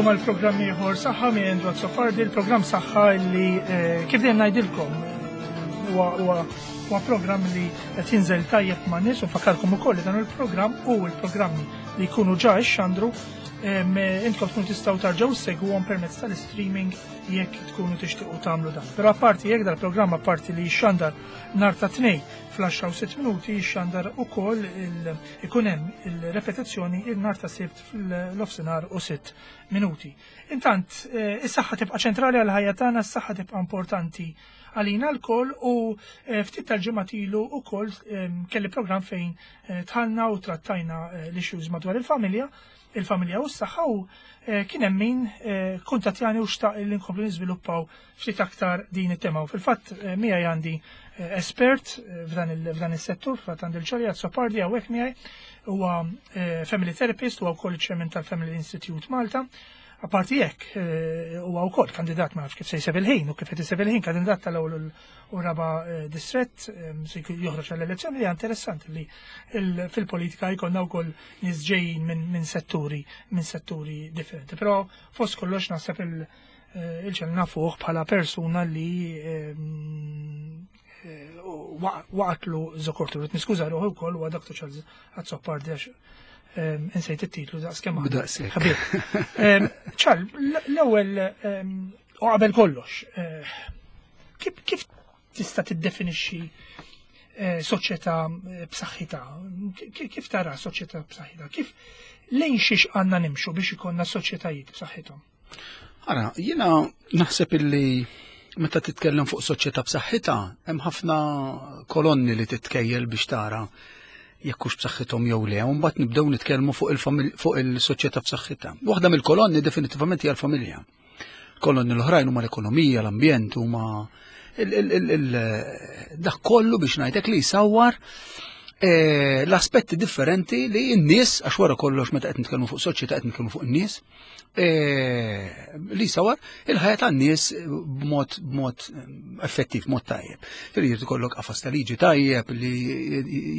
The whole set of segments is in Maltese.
Nilqakom għal programm ieħor saħħa minn Andrew Azzopardi, il-programm saħħa li eh, kif dejjem ngħidilkom huwa huwa programm li qed jinżel tajjeb ma' nies u nfakkarkom ukoll li dan il-programm u l-programmi li jkunu ġa xandru intkom tkunu tistgħu tarġgħu segwuhom permezz tal-streaming jekk tkunu tixtiequ tagħmlu dan. Però apparti jekk dal-programm apparti li jxandar nhar ta' tnej fl-10 u 6 minuti jxandar ukoll ikun hemm il-repetizzjoni il-nhar ta' sibt fil-nofsinhar u 6 minuti. Intant, eh, is-saħħa tibqa' ċentrali għal ħajja tagħna, is-saħħa tibqa' importanti għalina lkoll u eh, ftit tal-ġimgħat ilu wkoll ehm, kelli programm fejn eh, tħallna u trattajna l-issues madwar il-familja, il-familja u s-saħħa u kien hemm min kuntattjani u xtaq li nkomplu niżviluppaw ftit aktar din it-tema. U fil-fatt miegħi għandi espert f'dan is-settur, fil-fatt għandi l-ċarja Sopardi hawnhekk miegħi huwa family therapist huwa wkoll chairman tal-Family Institute Malta. Apparti hekk huwa wkoll kandidat ma nafx kif se jseb il-ħin u kif qed iseb il-ħin kandidat tal-ewwel u raba distrett se joħroġ għall-elezzjoni li interessanti li fil-politika jkollna wkoll nies ġejjin minn setturi minn setturi differenti. Però fost kollox naħseb il- il-ċel nafuh bħala persuna li waqatlu zokortu. Rrit niskuża ruħu wkoll huwa Dr. Charles Azzopardi għax insejt it-titlu daqs kemm Ħabib. Ċar, l-ewwel u qabel kollox, eh, kif tista' tiddefinixxi eh, soċjetà eh, b'saħħitha? Kif tara soċjetà b'saħħitha? Kif lejn xiex għandna nimxu biex ikollna soċjetajiet b'saħħithom? Ara, jiena naħseb illi meta titkellem fuq soċjetà b'saħħitha, hemm ħafna kolonni li titkejjel biex tara jekk hux b'saħħithom jew le, u mbagħad nibdew nitkellmu fuq il-fuq il-soċjetà b'saħħitha. Waħda mill-kolonni definitivament hija l-familja. Kolonni l-oħrajn huma l-ekonomija, l-ambjent, huma dak kollu biex ngħidlek li jsawwar eh, l-aspetti differenti li n-nies, għax wara kollox meta qed nitkellmu fuq soċjetà qed nitkellmu fuq in-nies, Eh, li sawar il-ħajja tan-nies b'mod b'mod effettiv, mod tajjeb. Fil jrid ikollok qafas ta' liġi tajjeb li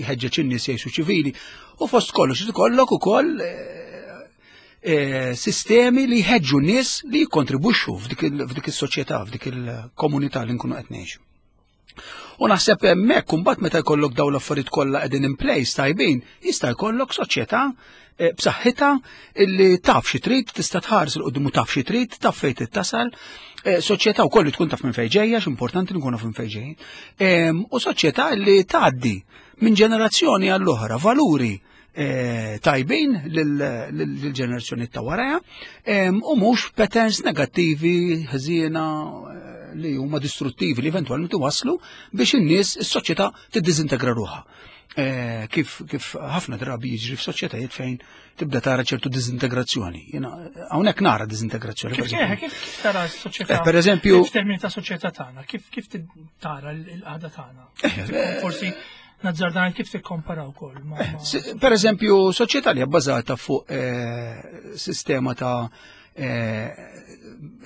jħeġġeġ in-nies jgħixu ċivili u fost kollox irid ikollok ukoll eh, eh, sistemi li jħeġġu n-nies li jikkontribwixxu f'dik is-soċjetà, f'dik il-komunità li nkunu qed ngħixu. U naħseb hemmhekk imbagħad meta jkollok dawn l-affarijiet kollha qegħdin in place tajbin, jista' jkollok soċjetà eh, b'saħħitha illi taf xi trid, tista' tħares il qudiem u taf xi trid, taf fejn tittasal. Eh, soċjetà wkoll li tkun taf minn fejn ġejja, x'importanti nkunu minn fejn ġejjin. Ehm, u soċjetà li tgħaddi minn ġenerazzjoni għall-oħra valuri eh, tajbin lill-ġenerazzjoni ta' waraja u mhux patterns negattivi ħżiena eh, li huma distruttivi li eventwalment iwasslu biex in-nies is-soċjetà tiddiżintegra ruħha. Eh, kif kif ħafna drabi jiġri f'soċjetajiet fejn tibda tara ċertu diżintegrazzjoni. Jiena hawnhekk nara diżintegrazzjoni. Kif kif tara s-soċjetà? Per eżempju, f'termini ta' soċjetà tagħna, kif kif tara l-qagħda tagħna? Forsi Nazzarda kif tikkompara wkoll. Eh, per eżempju, soċjetà li bbażata fuq eh, sistema ta' eh,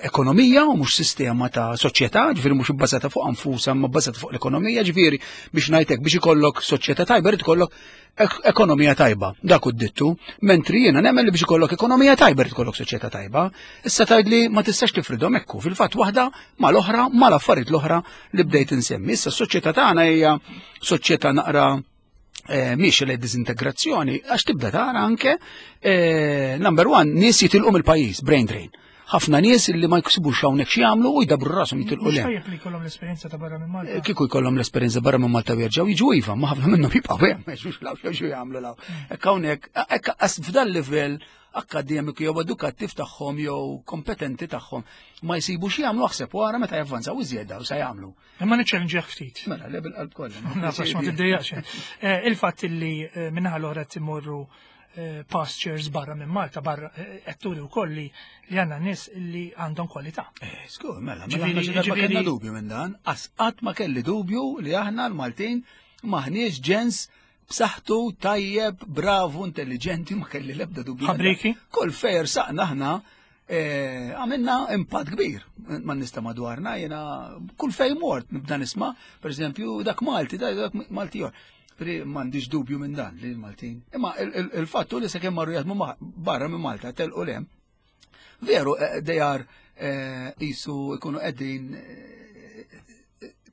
ekonomija u mhux sistema ta' soċjetà, ġifieri mhux ibbażata fuq anfusa, ma bbażata fuq l-ekonomija, ġifieri biex ngħidlek biex ikollok soċjetà tajba rid ikollok ekonomija tajba, dak u dittu, mentri jiena nemmen li biex ikollok ekonomija tajba rid ikollok soċjetà tajba. Issa tgħidli ma tistax tifridhom ekku, fil-fatt waħda mal-oħra mal-affarijiet l-oħra li bdejt insemmi. Issa s-soċjetà tagħna hija soċjetà naqra eh, miex li dizintegrazzjoni, għax tibda tara anke eh, number one, nies jitilqu mill-pajjiż, brain drain. Ħafna nies li ma jksibux hawnhekk xi jagħmlu u jdabru rashom jitilqu le. Tajjeb li jkollhom l-esperjenza ta' barra minn Malta. Eh, kieku jkollhom l-esperjenza barra minn Malta u jerġgħu jiġu iva, ma ħafna minnhom jibqgħu hemm, ma law xi jagħmlu law. Mm. Hekk hawnhekk, hekk f'dan livell akkademiku jew edukattiv tagħhom jew kompetenti tagħhom ma jsibu xi jagħmlu aħseb wara meta javvanzaw iżjed daw se jagħmlu. Imma niċċellinġih ftit. Mela, le bil-qalb kollha. Nafx ma tiddejjaqx. Eh, il-fatt illi eh, minnaħa l-oħra timorru eh, pastures barra minn Malta, barra qed turi wkoll li li għandna nies li għandhom kwalità. Eh, skur, mela, mela aħna ma kellna dubju minn dan, qatt ma kelli dubju li aħna l-Maltin maħniex ġens b'saħħtu, tajjeb, bravu, intelligenti, ma kelli l-ebda dubju. Ħabriki? Kull fejr saqna aħna eh, għamilna impatt kbir ma nista madwarna, jena kull fej mort nibda nisma, per eżempju, dak Malti, dak Malti jor. Pri m'għandix dubju minn dan li l-Maltin. Imma il-fattu li sakemm marru jaħdmu barra minn Malta telqu lem. Veru, they are qisu jkunu qegħdin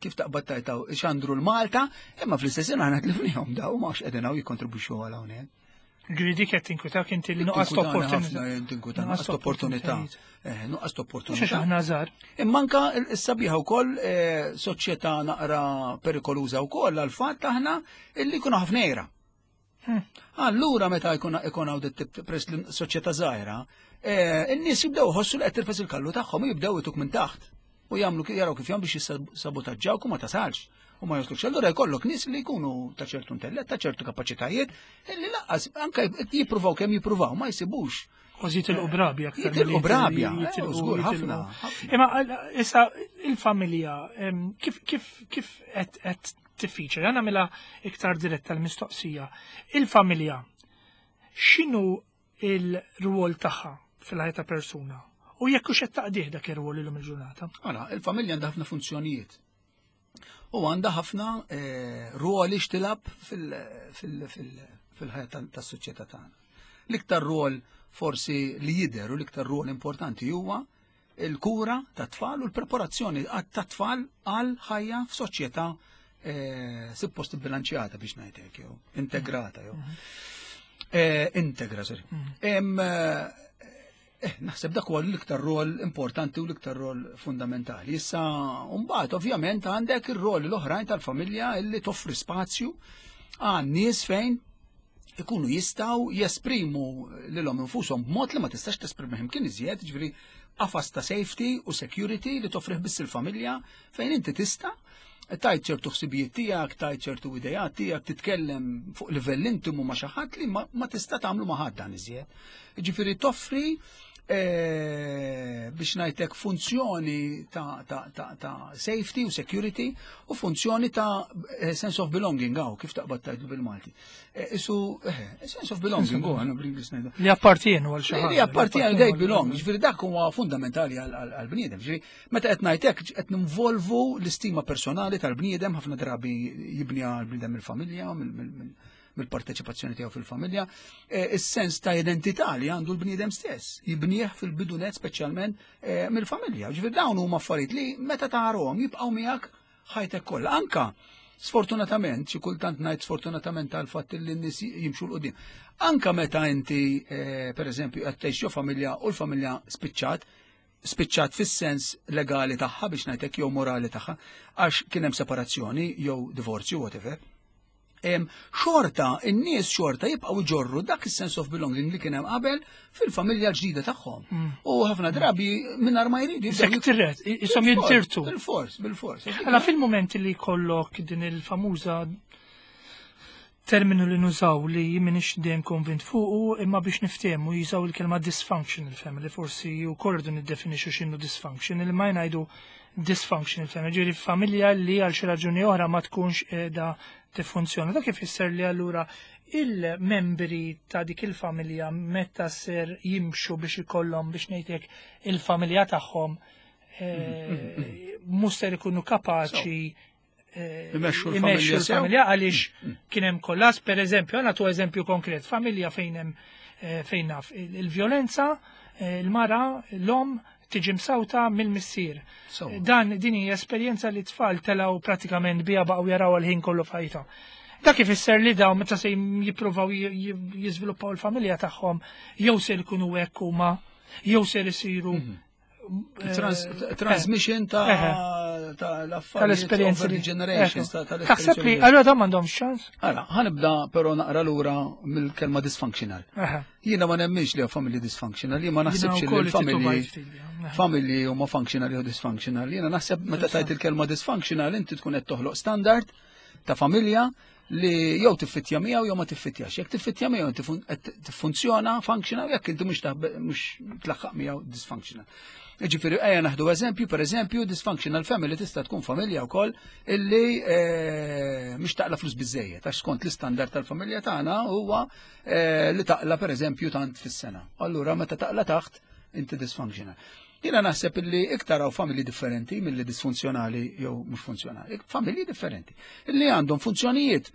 kif taqbad tajtaw xandru l-Malta, imma fl-istess ħin aħna tlifnihom daw ma qegħdin hawn jikkontribwixxu għal hawnhekk. Ġifieri dik qed tinkwitak inti li nuqqas ta' opportunità. Tinkwita nuqqas ta' opportunità. Nuqqas ta' opportunità. Mhux aħna żgħar. Imma anka s-sabiħa wkoll soċjetà naqra perikoluża wkoll għal fatt aħna illi jkunu ħafna għira. Allura meta jkun ikun hawn dit press li soċjetà żgħira, in-nies jibdew iħossu li qed tirfes il-kallu tagħhom u jibdew ituk minn taħt u jagħmlu jaraw kif jagħmlu biex jissabotaġġawk u ma tasalx u ma joslux. Allura jkollok nies li jkunu ta' ċertu intellett, ta' ċertu kapaċitajiet, li lanqas anke jippruvaw kemm jippruvaw ma jsibux. Kważi jitilqu brabja aktar. Jitilqu brabja, żgur ħafna. Imma issa il-familja kif kif kif qed tiffiċa, jana nagħmilha iktar diretta l-mistoqsija. Il-familja x'inhu il-rwol tagħha fil-ħajja ta' persuna? U jekk hux qed taqdih dak ir-rwol illum il-ġurnata? Ara, il-familja għandha ħafna funzjonijiet. U għandha ħafna ruoli x'tilgħab fil-ħajja tas-soċjetà tagħna. L-iktar rwol forsi li jidher u l-iktar rwol importanti huwa il-kura tat-tfal u l-preparazzjoni tat-tfal għal ħajja f'soċjetà suppost bilanċjata biex ngħidlek jew integrata jew. Integra, sorry. Naħseb dak huwa l-iktar rol importanti u l-iktar rol fundamentali. Issa, mbagħad ovvjament għandek ir-rol l-oħrajn tal-familja illi toffri spazju għan nies fejn ikunu jistgħu jesprimu lilhom infushom b'mod li ma tistax tesprimihom kien iżjed, ġifieri qafas ta' safety u security li toffrih biss il-familja fejn inti tista' tajt ċertu ħsibijiet tiegħek, tajt ċertu idejat tiegħek, titkellem fuq livell intimu ma' xi ħadd li ma tista' tagħmlu ma' ħadd dan iżjed. Ġifieri toffri biex ngħidlek funzjoni ta' safety u security u funzjoni ta' sense of belonging għaw, kif taqbad tajdu bil-Malti. Isu, sense of belonging, u għana bl-Inglis ngħidu. Li appartienu għal xi ħaġa. Li appartienu, they belong, ġifieri dak huwa fundamentali għal-bniedem. Ġifieri, meta qed ngħidlek qed ninvolvu l-istima personali tal-bniedem, ħafna drabi jibni għal-bniedem mill-familja, mill-parteċipazzjoni tiegħu fil-familja, is-sens ta' identità li għandu l-bniedem stess, jibnieh fil-bidunet speċjalment mill-familja. Ġifieri dawn huma affarijiet li meta tarahom jibqgħu miegħek ħajtek kollha. Anka sfortunatament, xi kultant ngħid sfortunatament għal fatt li n-nies jimxu 'l quddiem. Anka meta inti per eżempju qed tgħix ġo familja u l-familja spiċċat fis-sens legali tagħha biex ngħidlek jew morali tagħha, għax kien hemm separazzjoni jew divorzju, whatever. Xorta, in-nies xorta jibqgħu jġorru dak is-sense of belonging li kien hemm qabel fil-familja ġdida tagħhom. U ħafna drabi mingħajr ma jridu jibdew Sekk tirret, isom jintirtu. Bil-fors, bil-fors. Għala fil-moment li jkollok din il-famuża terminu li nużaw li minix dejjem konvint fuqu imma biex niftehmu jużaw il-kelma dysfunctional family, forsi wkoll rridu niddefinixxu x'inhu dysfunctional, imma jgħidu dysfunctional family, ġifieri familja li għal xi raġuni oħra ma tkunx qiegħda tiffunzjona. Dak ifisser li allura il-membri ta' dik il-familja meta ser jimxu biex ikollhom biex ngħidlek il-familja tagħhom mhux ser ikunu kapaċi Imexxu l-familja imexxu l-familja għaliex kien hemm kollass, per eżempju, għana tu eżempju konkret, familja fejn hemm fejn naf il-vjolenza, il-mara, l-om tiġi msawta mill-missier. Dan din hija esperjenza li tfal telgħu pratikament biha baqgħu jaraw għal-ħin kollu f'ħajthom. Dak ifisser li dawn meta se jippruvaw jiżviluppaw il-familja tagħhom jew se jkunu hekk huma jew se jsiru Transmission ta' l-affarijiet tal-esperjenzi over the generations, Taħseb li tal-esperjenzi. allura dawn m'għandhomx ċans? Ara, ħa nibda però naqra lura mill-kelma dysfunctional. Jiena ma nemminx li familji dysfunctional, jien ma naħsibx li wkoll l-familji titubajt ftit biha. Familji huma functional jew dysfunctional. Jiena naħseb meta tajt il-kelma dysfunctional inti tkun qed toħloq standard ta' familja li jew tiffittja miegħu jew ma tiffittjax. Jekk tiffittja miegħu inti qed tiffunzjona functional, jekk inti mhux tlaħħaq miegħu dysfunctional. Ġifieri ejja naħdu eżempju, per eżempju, dysfunctional family tista' tkun familja wkoll illi mhux taqla flus biżejjed, għax skont l-istandard tal-familja tagħna huwa li taqla per eżempju tant fis-sena. Allura meta taqla taħt inti dysfunctional. Jiena naħseb illi iktar hawn familji differenti milli disfunzjonali jew mhux funzjonali. Familji differenti illi għandhom funzjonijiet,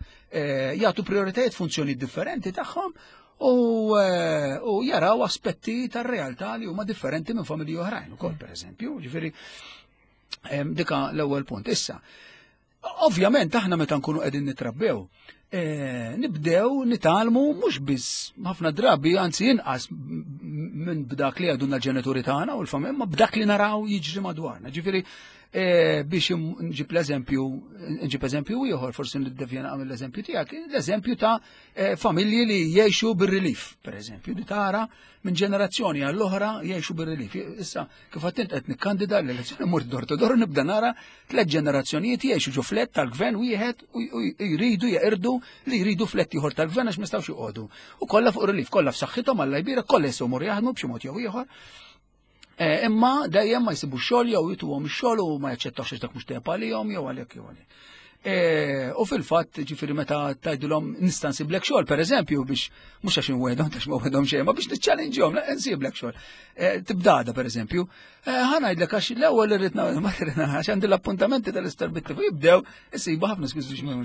jagħtu prioritajiet funzjonijiet differenti tagħhom. U, eh, u jaraw aspetti tar-realtà li huma differenti minn familji oħrajn ukoll pereżempju, ġifieri dika l-ewwel punt. Issa, ovvjament aħna meta nkunu qegħdin nitrabbew, eh, nibdew nitalmu mhux biss ħafna drabi anzi inqas minn b'dak li għadunna l-ġenituri tagħna u l-familja, ma b'dak li naraw jiġri madwarna. Ġifieri eh, biex nġib l-eżempju, nġib eżempju ieħor, forsi niddevjena għamil l-eżempju tiegħek, l-eżempju ta' Eh, familji li jgħixu bir-relief, per eżempju, li tara minn ġenerazzjoni għall-oħra jgħixu bir-relief. Issa, kif għattint qed nikkandida l-elezzjoni mur dor to dor nibda nara tliet ġenerazzjonijiet jgħixu ġo flett tal-gvern wieħed u jridu jeqirdu li jridu flett ieħor tal-gvern għax ma jistgħux joqogħdu. U kollha fuq relief, kollha f'saħħithom alla jbira, kollha jistgħu mur jaħdmu b'xi mod jew ieħor. Eh, imma dejjem ma jsibu xogħol jew jituhom ix-xogħol u ma jaċċettawx għax dak mhux tajjeb għalihom jew għalhekk jew għalhekk. Eh, u fil-fatt, ġifieri meta tgħidilhom nista' nsiblek xogħol, pereżempju, biex mhux għax inwedhom tax ma wedhom xejn, ma biex niċċallenġihom, nsiblek xogħol. Eh, tibdada pereżempju, ħa ngħidlek għax l-ewwel irrid ma għax għandi l-appuntamenti tal-istar bit jibdew isibu ħafna skużi biex ma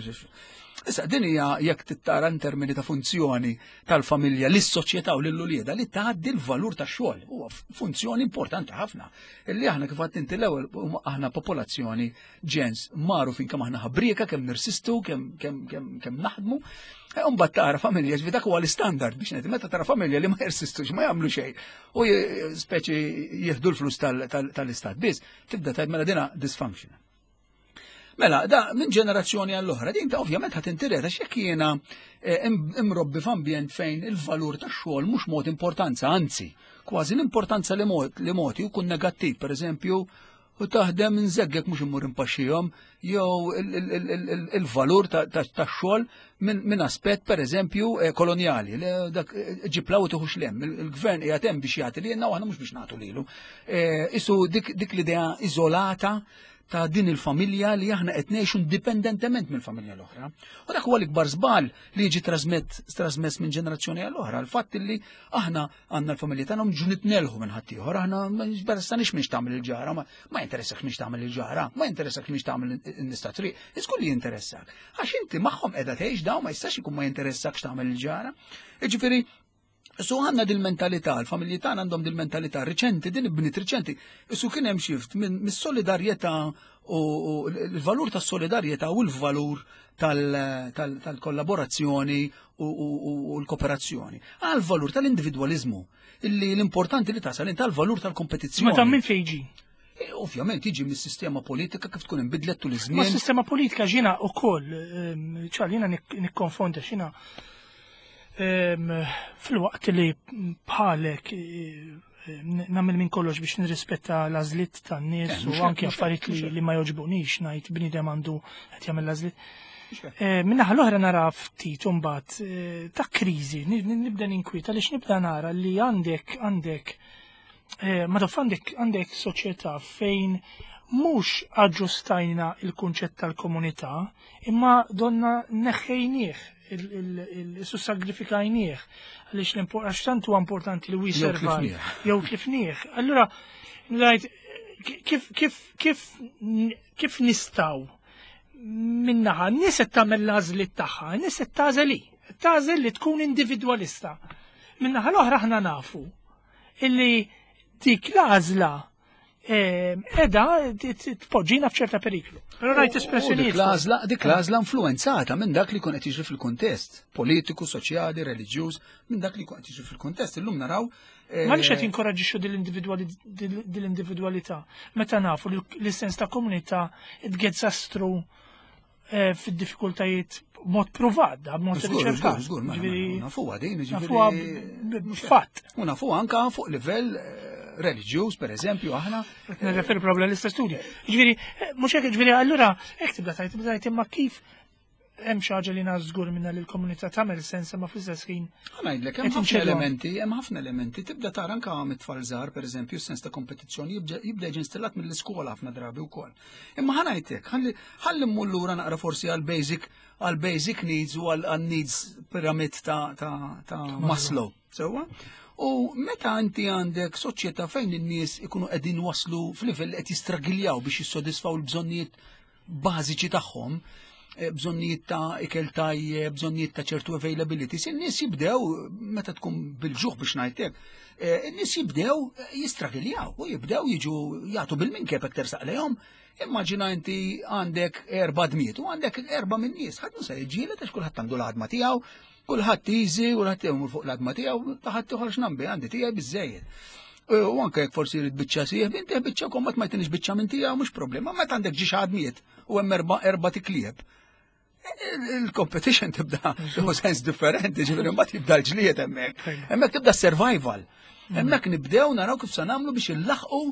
Issa din hija jekk tittara in termini ta' funzjoni tal-familja lis-soċjetà u lill-ulieda li tgħaddi l-valur tax-xogħol. Huwa funzjoni importanti ħafna. Illi aħna kif għadt inti l-ewwel aħna popolazzjoni ġens magħrufin kemm aħna ħabrieka, kemm nirsistu, kemm kemm kemm kemm naħdmu. E, mbagħad tara familja ġifi dak huwa l-istandard biex ngħid meta tara familja li ma jirsistux ma jagħmlu xejn u speċi jieħdu l-flus tal-istat biss, tibda tgħid mela dina dysfunctional. Mela, da minn ġenerazzjoni għall-oħra, din ta' ovvjament ħat intireta x'jekk jiena eh, imrobbi f'ambjent fejn il-valur tax-xogħol mhux mod importanza, anzi, kważi l-importanza li moti jkun negattiv, pereżempju, u taħdem nżeggek mhux immur impaxxihom, jew il-valur tax-xogħol minn aspett pereżempju eh, kolonjali, dak eh, ġiplaw tuħux lem, il-gvern qiegħed hemm biex jagħti lilna u aħna mhux biex nagħtu lilu. Isu dik l-idea iżolata ta' din il-familja li aħna qed ngħixu indipendentement mill-familja l-oħra. U dak huwa l-ikbar żball li jiġi trasmess minn ġenerazzjoni għall oħra l-fatt li aħna għandna l-familja tagħna mġu nitnelħu minn ħaddieħor, aħna ma jinteressanix minn tagħmel il-ġara, ma jinteressak minn tagħmel il-ġara, ma jinteressak minn tagħmel in-nista triq, iżgur li jinteressak. Għax inti magħhom qiegħda tgħix dawn ma jistax ikun ma jinteressakx tagħmel il-ġara. Jiġifieri Su għanna dil-mentalità, l-familji tagħna għandhom dil-mentalità riċenti, din ibnit riċenti. Su kien hemm xift minn mis-solidarjetà u l-valur tas-solidarjetà u l-valur tal-kollaborazzjoni u l-kooperazzjoni. Għal valur tal-individwaliżmu, illi l-importanti li tasal inta l-valur tal-kompetizzjoni. Ma ta' minn fejn ġi? E, ovvjament jiġi mis-sistema politika kif tkun inbidlet tul iż-żmien. Ma sistema politika ġina ukoll, ehm, ċar jiena nikkonfonda xina ehm, fil-waqt li bħalek eh, nagħmel minn kollox biex nirrispetta l-għażliet tan-nies eh, u anke affarijiet li ma jogħġbunix ngħid bniedem għandu qed jagħmel l-għażliet. Eh, minnaħa l-oħra nara ftit imbagħad ta' kriżi, nibda ninkwieta għaliex nibda nara li għandek għandek Eh, ma taf għandek għandek soċjetà fejn mhux aġġustajna il-kunċett tal-komunità, imma donna neħħejnieh, il-sussagrifikajnieh, għaliex għax tant huwa importanti li we survive, jew tlifnieh. Allura, ngħid kif kif kif kif nistgħu minnaħa, n-nies qed tagħmel l-għażliet tagħha, n-nies qed tagħżel hi, tagħżel li tkun individwalista. Minnaħa l-oħra aħna nafu illi dik l-għażla ehm, edha tpoġġina f'ċerta periklu. Però rajt espressjonijiet. Dik l-għażla, dik l-għażla influenzata minn dak li jkun qed jiġri fil-kuntest politiku, soċjali, reliġjuż, minn dak li jkun qed jiġri fil-kuntest. Illum naraw eh, Ma li qed jinkoraġġixxu dil-individwalità meta nafu li l-sens ta' komunità it gets us through Eh, fid-diffikultajiet mod provat, da mod riċerkat. Żgur, nafuha din, ġifieri. Fatt. U nafuha anka fuq livell eh, reliġjuż, per eżempju, aħna. Nirreferi probabli l-istess studju. Ġifieri, eh, mhux hekk ġifieri allura hekk tibda tajt, tibda tajt imma kif hemm xi ħaġa li żgur minna li l-komunità tagħmel sens imma fl-istess ħin. Ngħidlek hemm ħafna elementi, hemm ħafna elementi tibda tara anke mit-tfal żgħar pereżempju sens ta' kompetizzjoni jibda jiġi installat mill-iskola ħafna drabi wkoll. Imma ħa ngħidlek, ħalli mmur lura naqra forsi għal basic għal basic needs u għal needs pyramid ta', ta, ta Maslow. Sewwa? U meta inti għandek soċjetà fejn in-nies ikunu qegħdin waslu f'livell qed jistragiljaw biex jissodisfaw l-bżonnijiet bażiċi tagħhom, bżonnijiet ta' ikel tajjeb, bżonnijiet ta' ċertu availability, in-nies jibdew meta tkun bil-ġuħ biex ngħidlek, in-nies jibdew jistragiljaw u jibdew jiġu jagħtu bil-minkeb hekk tersaq lejhom. Immaġina inti għandek erba' dmiet u għandek erba' minn nies, ħadd mhu se jiġġieled għax kulħadd għandu l-għadma tiegħu, kulħadd easy, kulħadd imur fuq l-għadma tiegħu, ta' ħadd ieħor x'nambi għandi tiegħi biżejjed. U anke jekk forsi jrid biċċa sieħ, inti biċċa kommat ma jtinix biċċa minn tiegħu mhux problema, meta għandek ġiex għadmiet u hemm erba' tiklieb. Il-competition tibda tieħu sens differenti, ġifieri mbagħad jibda l-ġlied hemmhekk. Hemmhekk tibda survival. Hemmhekk nibdew naraw kif se nagħmlu biex illaħqu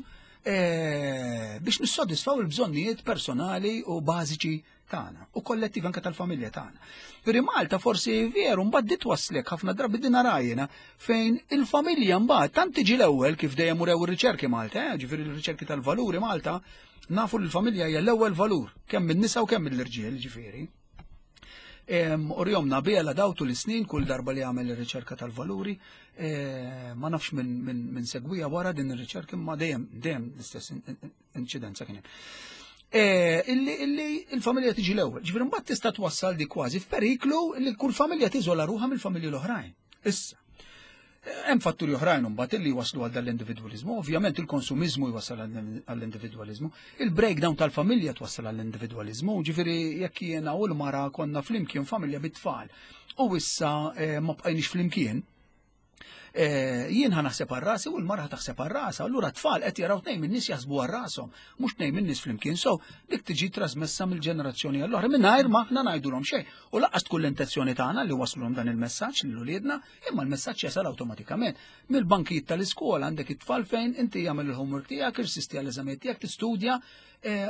biex nissodisfaw il-bżonnijiet personali u bażiċi tagħna u kollettiv anke tal-familja tagħna. Peri Malta forsi veru mbagħad di twasslek ħafna drabi din arajna fejn il-familja mbagħad tant tiġi l-ewwel kif dejjem urew ir-riċerki Malta, ġifieri r-riċerki tal-valuri Malta, nafu li l-familja hija l-ewwel valur kemm min-nisa u kemm mill-irġiel, ġifieri. Urjomna biela dawtu l-snin kull darba li għamel ir-riċerka tal-valuri, ma nafx minn segwija wara din ir-riċerka imma dejjem dejjem l-istess inċidenza kien hemm. Illi il-familja tiġi l-ewwel. Ġifieri mbagħad tista' twassal di kważi f'periklu li kull familja tiżola ruħha mill-familji l-oħrajn. Issa, hemm fatturi oħrajn imbagħad illi waslu għal dal-individwaliżmu. Ovvjament il-konsumiżmu jwassal għall-individwaliżmu, il-breakdown tal-familja twassal għall-individwaliżmu, ġifieri jekk jiena u l-mara konna flimkien familja bit-tfal u issa ma bqajniex flimkien, jien ħa naħseb għal rasi u l-mara ħa taħseb għal rasha, allura t-tfal qed jaraw tnejn min-nies jaħsbu għal rashom, mhux tnejn min-nies flimkien. So dik tiġi trasmessa mill-ġenerazzjoni għall-oħra mingħajr ma aħna ngħidulhom xejn. U lanqas tkun l-intenzjoni tagħna li waslulhom dan il-messaġġ lil uliedna, imma l-messaġġ jasal awtomatikament. Mill-bankijiet tal-iskola għandek it-tfal fejn inti jagħmel il-homework tiegħek, irsisti għall-eżamijiet tiegħek, tistudja,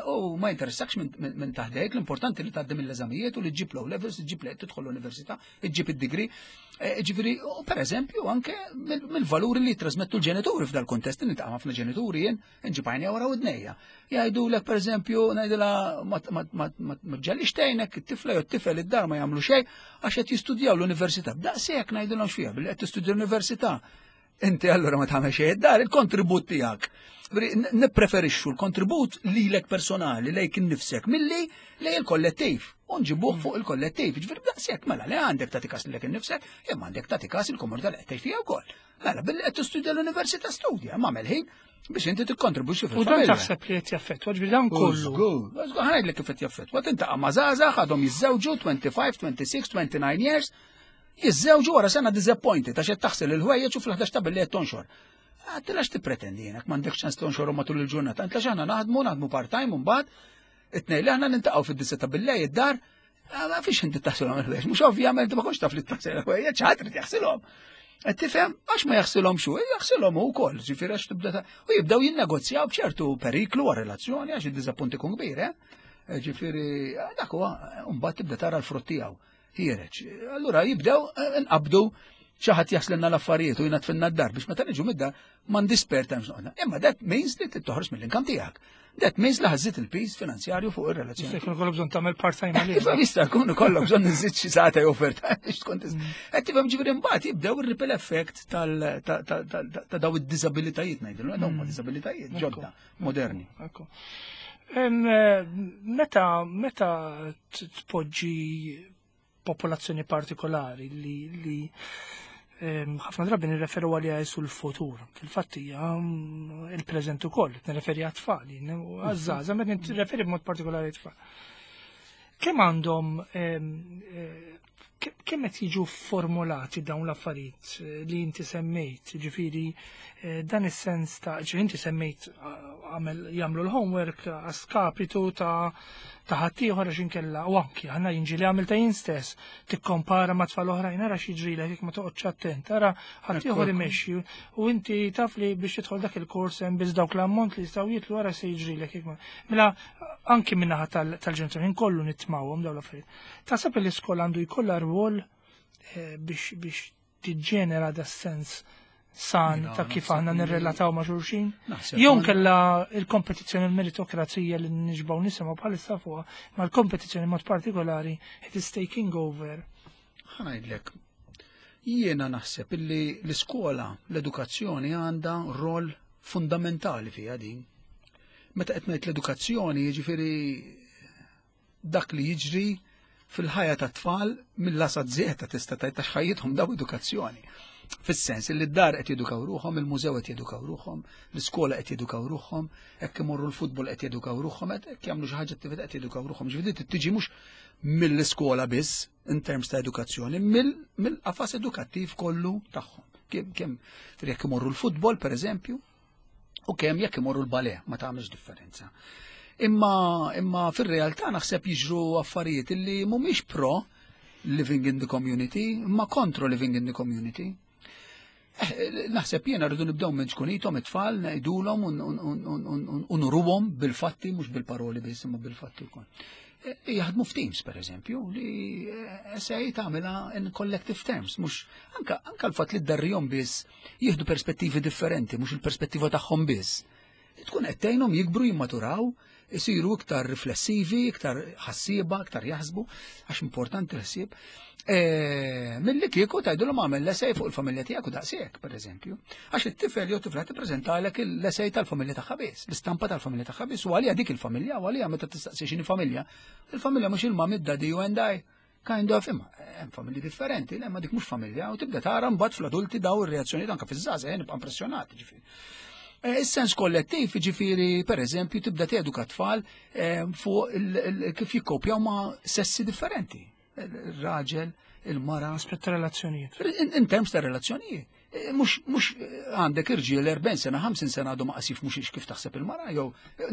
u ma jinteressakx minn taħdejk, l-importanti li tgħaddi mill-eżamijiet u li ġġib l-O levels, ġġib li tidħol l-università, ġġib id-degree. Ġifieri, u per eżempju, anke mill-valuri li trasmettu l-ġenituri f'dal kontest, niltaqa' ħafna ġenituri jien, nġib għajnija wara widnejja. Jgħidulek per eżempju, ngħidilha ma ġallix tgħinek, it-tifla jew t-tifel id-dar ma jagħmlu xejn għax qed jistudjaw l-università. B'daqshekk ngħidilhom x'fiha billi qed tistudja l-università. Inti allura ma tagħmel xejn id-dar, il-kontribut tiegħek. Nippreferixxu l-kontribut lilek personali lejk innifsek milli lej il-kollettiv. U nġibuh fuq il-kollettiv. Ġifieri b'daqshekk mela li għandek tagħti kas lilek innifsek, imma għandek tagħti kas il-komunità li qed tgħix fiha wkoll. Mela billi qed tistudja l-università studja, ma għamel ħin biex inti tikkontribwixxi U dan fil-familja. taħseb li qed jaffettwa, ġifieri dan kollu. Żgur, żgur, ħa ngħidlek kif qed jaffettwa. Tintaqa' ma' żgħażagħ għadhom jiżżewġu 25, 26, 29 years, jiżżewġu wara sena disappointed għax qed taħsel il-ħwejjeġ u fl-11 ta' billi qed tonxor. Għax tippretendi jenak m'għandekx ċans tonxor matul il-ġurnata. Għax aħna naħdmu, naħdmu part-time u mbagħad it-tnejn li aħna nintaqgħu fid-disgħa ta' billejl id-dar, ma fiex inti taħsilhom il-ħwejjeġ. Mhux ovvjament ma kontx taf li taħsil il-ħwejjeġ, ħadd irid jaħsilhom. Qed tifhem għax ma jaħsilhom xu, jaħsilhom hu wkoll, ġifieri għax tibda u jibdew jinnegozjaw b'ċertu periklu għar relazzjoni għax id-diżappunt ikun kbir, eh? Ġifieri dak huwa mbagħad tibda tara l-frott tiegħu ħiereġ. Allura jibdew nqabdu xi ħadd jaħslilna l-affarijiet u jnaddfilna d-dar biex meta niġu mid-dar m'għandi spare time x'noqgħod. Imma that means li toħroġ mill-income tiegħek. That means li ħa żżid il-piż finanzjarju fuq ir-relazzjoni. Jista' jkun ikollok bżonn tagħmel part-time għalih. Iva, jista' jkun ikollok bżonn iżid xi sagħta jew overtime biex tkun tista'. Qed tifhem ġifieri mbagħad jibdew ir-ripple effect ta' daw id-diżabilitajiet ngħidu, dawn huma diżabilitajiet ġodda, moderni. Ekku. Meta tpoġġi popolazzjoni partikolari li ħafna drabi nirreferu għaliha sul futur. Fil-fatt hija il-preżent ukoll, nirreferi għat-tfal, għaż-żgħażagħ, meta nirreferi b'mod partikolari għat-tfal. Kemm għandhom kemm qed jiġu formulati dawn l-affarijiet li inti semmejt, ġifieri dan is-sens ta' ġifieri inti semmejt għamel jagħmlu l-homework a skapitu ta' ħaddieħor għax inkella u anki aħna jinġi li għamil ta' jien stess tikkompara ma' tfal oħrajn ara x'jiġrilek jekk ma toqgħodx attent, ara ħaddieħor imexxi u inti taf li biex tidħol dak il-kors hemm biss dawk l-ammont li jistgħu jitlu ara se jiġrilek jekk ma. Mela anki min-naħa tal-ġenituri nkollu nitmawhom dawn l-affarijiet. Taħseb li l-iskola għandu jkollha rwol biex tiġġenera da sens san Mela, ta' kif naħseb aħna nirrelataw ma' xulxin? Naħseb Jew kella il-kompetizzjoni l-meritokrazija li nixbgħu nisimgħu bħalissa fuqha, ma l-kompetizzjoni mod partikolari it is taking over. Ħa ngħidlek, jiena naħseb illi l-iskola, l-edukazzjoni għandha rol fundamentali fiha din. Meta qed ngħid l-edukazzjoni, jiġifieri dak li jiġri fil-ħajja tat-tfal mill-A sa Z tista' tgħid għax ħajjithom daw edukazzjoni. Fis-sens li d-dar qed jedukaw ruħhom, il-mużew qed jedukaw ruħhom, l-iskola qed jedukaw ruħhom, hekk imorru l-futbol qed jedukaw ruħhom, hekk jagħmlu xi ħaġa attività qed jedukaw ruħhom. Ġifieri tiġi mhux mill-iskola biss in terms ta' edukazzjoni, mill-qafas edukattiv kollu tagħhom. Kemm jekk imorru l-futbol, per eżempju, u kemm jekk imorru l-ballet, ma tagħmilx differenza. Imma, imma fir-realtà naħseb jiġru affarijiet illi mhumiex pro living in the community, imma kontro living in the community. Eh, naħseb jiena rridu nibdew minn ċkunithom it-tfal ngħidulhom u nuruhom bil-fatti mhux bil-paroli biss imma bil-fatti wkoll. Eh, jaħdmu f'teams per eżempju li eh, essay tagħmilha in collective terms, mhux anka anka l-fatt li ddarrihom biss jieħdu perspettivi differenti, mhux il-perspettiva tagħhom biss. Tkun qed tgħinhom jikbru jimmaturaw, isiru iktar riflessivi, iktar ħassieba, iktar jaħsbu, għax importanti l-ħsieb. E, Milli kieku tgħidulhom għamel l-essay fuq il-familja tiegħek u daqshekk, pereżempju. Għax it-tifel jew tifla tippreżentalek l-essay tal-familja tagħha biss, l-istampa tal-familja tagħha biss, u għalija dik il-familja, u għalija meta tistaqsi x'inhi familja. Il-familja mhux il-mummy, daddy you and I. Kind of, imma hemm familji differenti, le ma dik mhux familja, u tibda tara mbagħad fl-adulti daw ir-reazzjonijiet anke fiż-żgħażagħ nibqa' impressjonat, ġifieri. Eh, is-sens kollettiv, ġifieri, per eżempju, tibda teduka tfal eh, fuq kif jikkopjaw ma' sessi differenti. Il-raġel, il-mara. Aspett ta' relazzjonijiet. In terms ta' relazzjonijiet. Eh, mhux għandek irġiel 40 sena, 50 sena għadu ma qasif mhux kif taħseb il-mara, jew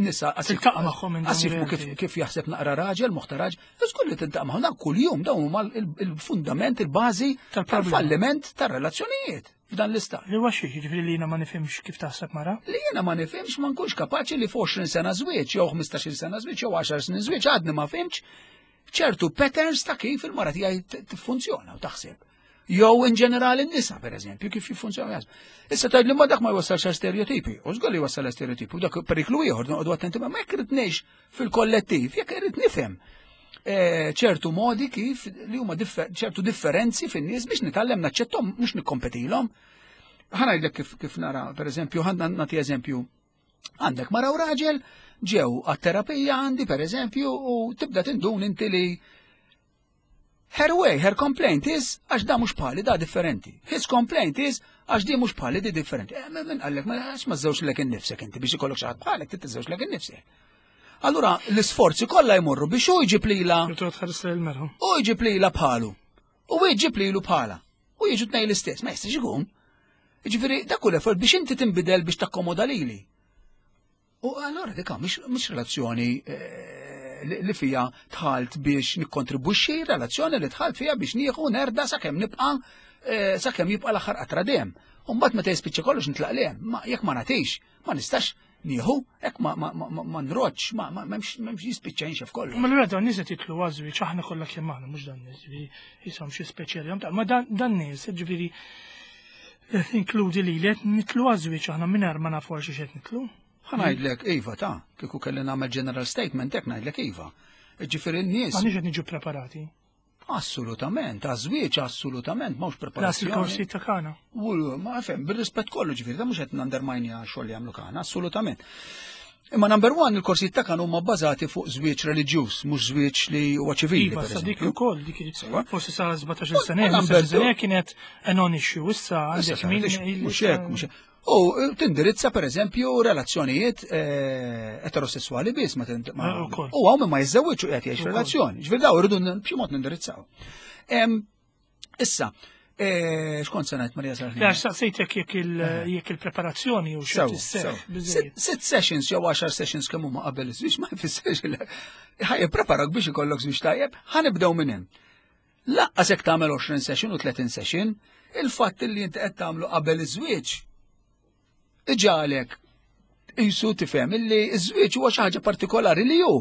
nisa qasif. Tiltaqa' magħhom qasif kif, kif jaħseb naqra raġel, moħħ raġel, żgur li tiltaqa' magħhom dan kuljum dawn huma il-fundament, il-bażi tal-falliment tar-relazzjonijiet f'dan l-istat. Li huwa xi, jiġifieri li jiena ma nifhimx kif taħseb mara? Li jiena ma nifhimx ma nkunx kapaċi li f'20 sena żwieġ, jew 15-il sena żwieġ, jew 10 snin żwieġ għadni ma fhimx ċertu patterns ta' kif il-mara tiegħi tiffunzjona u taħseb. Jew in ġenerali n-nisa, per eżempju, kif jiffunzjonaw jaħsbu. Issa tgħid li ma dak ma jwassalx għal stereotipi, u żgur li jwassal għal stereotipi, u dak periklu ieħor noqogħdu attenti ma jekk irid ngħix fil-kollettiv, jekk irid nifhem eh, ċertu modi kif li huma ċertu differenzi fin-nies biex nitgħallem naċċettom mhux nikkompetilhom. Ħa ngħidlek kif, kif nara, per eżempju, ħa nagħti eżempju. Għandek mara u raġel ġew għat-terapija għandi per eżempju u tibda tindun inti li Her way, her complaint is għax da mhux bħali da differenti. His complaint is għax di mhux bħali di differenti. Eh, min qallek, ma għax ma żewġ lek innifsek inti biex ikollok xi ħadd bħalek, trid tiżewġ lek innifsek. Allura l-isforzi kollha jmorru biex hu jġib lila. U jġib lila bħalu. U jġib lilu bħala. U jiġu tnej l-istess, ma jistax ikun. Jiġifieri dak kull effort biex inti tinbidel biex takkomoda lili. U allora dik mhix relazzjoni eh, li fija tħalt biex nikkontribwixxi, relazzjoni li tħalt fija biex nieħu nerda sakemm nibqa' eh, sakemm jibqa' l-aħħar qatra dejjem. U mbagħad meta jispiċċa kollox nitlaq lejn, ma jekk ma nagħtix, ma nistax nieħu, hekk ma ma ma ma nroġġ, ma m'hemmx jispiċċa jinxef kollu. Ma l dan nies qed jitlu għażwieġ aħna kollha kemm aħna mhux dan nies, ġifieri jisom xi speċjali, ma dan nies, ġifieri Inkludi li li nitlu għażwieġ aħna mingħajr ma nafu għal xi qed nitlu. Ħa ngħidlek iva ta' kieku kelli nagħmel general statement hekk ngħidlek iva. Ġifieri n-nies. M'aħniex qed niġu preparati. Assolutament, għaż-żwieġ assolutament m'hawnx preparazzjoni. Las il-korsi ta' kana. U ma fem, bir-rispett kollu ġifieri, da mhux qed nundermine xogħol li jagħmlu kana, assolutament. Imma number one, il-korsijiet ta' kan huma bbażati fuq żwieġ reliġjuż, mhux żwieġ li huwa ċivili. Iva, sa dik ukoll, dik forsi sa 17 sena, sena kienet a non-issue, issa għandek min. Mhux hekk, mhux hekk. U tindirizza per eżempju relazzjonijiet eh, eterosessuali biss ma eh, U hawn ma jiżżewġ u qed jgħix relazzjoni. Ġifier daw irridu b'xi mod nindirizzaw. Issa, eh, xkont se ngħid Marija Sarħin? Għax saqsejtek jekk eh. il-preparazzjoni u xi Sitt sessions jew 10 sessions kemm huma qabel iż-żwieġ ma jfissirx li ħaj preparak biex ikollok żwieġ tajjeb, ħanibdew minn hemm. Laqqas jekk tagħmel 20 session u 30 session, il-fatt li inti qed tagħmlu qabel iż-żwieġ iġalek jisu tifhem illi ż-żwieġ huwa xi ħaġa partikolari li hu.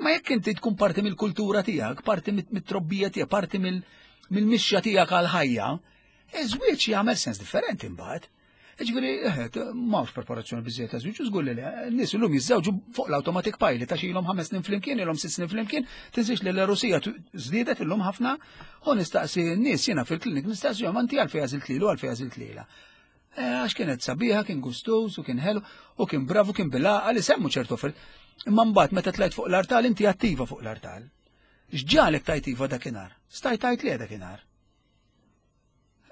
Ma jekk inti tkun parti mill-kultura tiegħek, parti mit-trobbija tiegħek, parti mill-mixja tiegħek għal-ħajja, iż-żwieġ jagħmel sens differenti mbagħad. Ġifieri, eh, m'hawnx preparazzjoni biżejjed ta' żwieġ, żgur li le, nies illum jiżżewġu fuq l-automatic pilot ta' xilhom ħames snin flimkien, ilhom sitt snin flimkien, tinsiex li l-Rusija żdiedet illum ħafna, u nistaqsi n-nies jiena fil-klinik nistaqsihom anti għalfejn għażilt lilu għalfejn għażilt lilha. Eh, għax kienet sabiħa, kien gustuż u kien ħelu u kien bravu, kien bilgħaqal li semmu ċertu affarijiet. Imma mbagħad meta tlajt fuq l-artal inti attiva fuq l-artal. X'ġagħlek tgħid iva dakinhar? Stajt tgħid le dakinhar.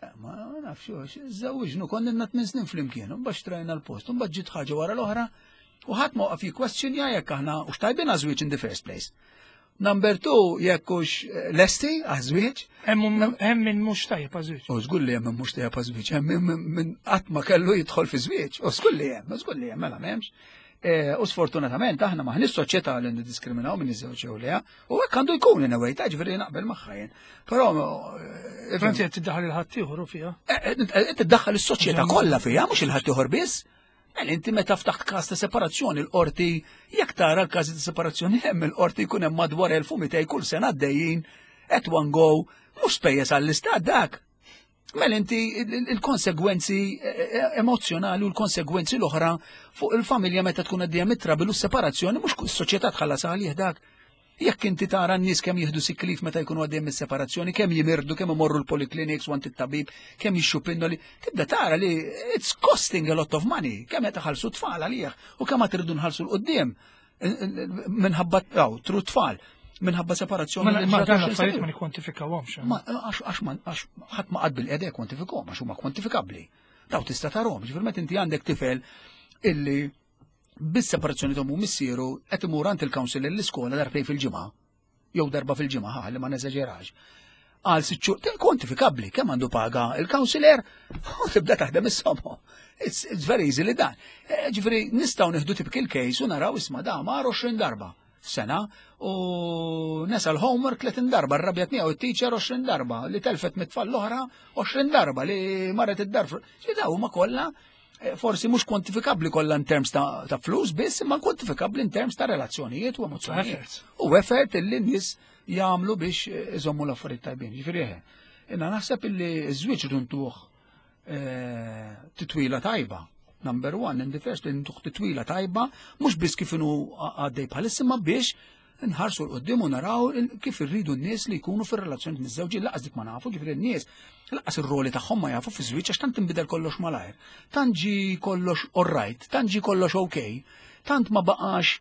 Eh, ma nafx, żewġnu konna ilna tmien snin flimkien, u mbagħad xtrajna l-post, u mbagħad ġiet ħaġa wara l-oħra, u ħadd ma waqaf jikkwestjonja jekk aħna u xtajbin għażwieġ in the first place. Number two, jekk hux eh, lesti għażwieġ. Hemm min mhux tajjeb għażwieġ. U żgur li hemm min mhux tajjeb għażwieġ, hemm min qatt ma kellu jidħol fi żwieġ, u żgur li hemm, żgur li hemm, mela m'hemmx. Eh, u sfortunatament aħna maħniex soċjetà li niddiskriminaw minn iż-żewġ jew le, u hekk għandu jkun in a way, ta' ġifieri naqbel magħha jien. Però eh, Franzi qed tiddaħħal il-ħaddieħor fiha. Eh, tiddaħħal is-soċjetà kollha fiha, mhux il-ħaddieħor biss. Mela inti meta ftaħt każ ta' separazzjoni l-qorti, jekk tara l-każi ta' separazzjoni hemm il-qorti jkun hemm madwar 1200 kull sena għaddejjin at one go, mhux spejjeż għall-istat dak. Mela inti il-konsegwenzi eh, eh, emozjonali u l-konsegwenzi l-oħra fuq il-familja meta tkun għaddejja mit-trabil u s-separazzjoni mhux is-soċjetà tħallas għalih dak. Jekk inti tara n-nies kemm jieħdu sick leave meta jkunu għaddejjem mis-separazzjoni, kemm jimirdu, kemm imorru l-polyclinics u it-tabib, kemm jixtru pinnoli, tibda tara li it's costing a lot of money, kemm qed iħallsu tfal għalih u kemm qed irridu nħallsu 'l quddiem minħabba tru tfal minħabba separazzjoni. Ma dan l-affarijiet ma nikkwantifikawhomx. Ma għax għax ħadd ma qagħad bilqiegħda jikkwantifikahom għax huma kwantifikabbli. Daw tista' tarahom, ġifier meta inti għandek tifel illi bis-separazzjoni t'ommu missieru qed imur għand il-counsellor l-iskola darbtejn fil-ġimgħa, jew darba fil-ġimgħa ħa li ma neżaġerax. Għal sitt xhur kwantifikabbli kemm għandu paga il-counselor u tibda taħdem is-somma. It's, it's very easy li dan. Eh, ġifieri nistgħu nieħdu typical case u naraw isma' da mar 20 darba f'sena u nesa l-homework 30 darba, rrabjat miegħu it-teacher 20 darba, li telfet mit-tfal l-oħra 20 darba, li marret id-dar. Daw huma kollha eh, forsi mhux kwantifikabbli kollha in terms ta', ta flus biss, imma kwantifikabbli in terms ta' relazzjonijiet u emozzjonijiet. U effort illi n-nies jagħmlu biex eh, iżommu l-affarijiet tajbin. Ġifieri eħe. Inna naħseb illi ż-żwieġ runtuh eh, titwila tajba. Number one, in the first, ntuh titwila tajba, mhux biss kif inhu għaddej bħalissa, ma biex nħarsu 'l quddiem u naraw kif irridu n-nies li jkunu fir-relazzjoni miż-żewġi lanqas dik ma nafu, ġifieri n-nies lanqas ir-roli tagħhom ma jafu fi żwieġ għax tant inbidel kollox malajr. Tant ġi kollox alright, tant ġi kollox okay, tant ma baqax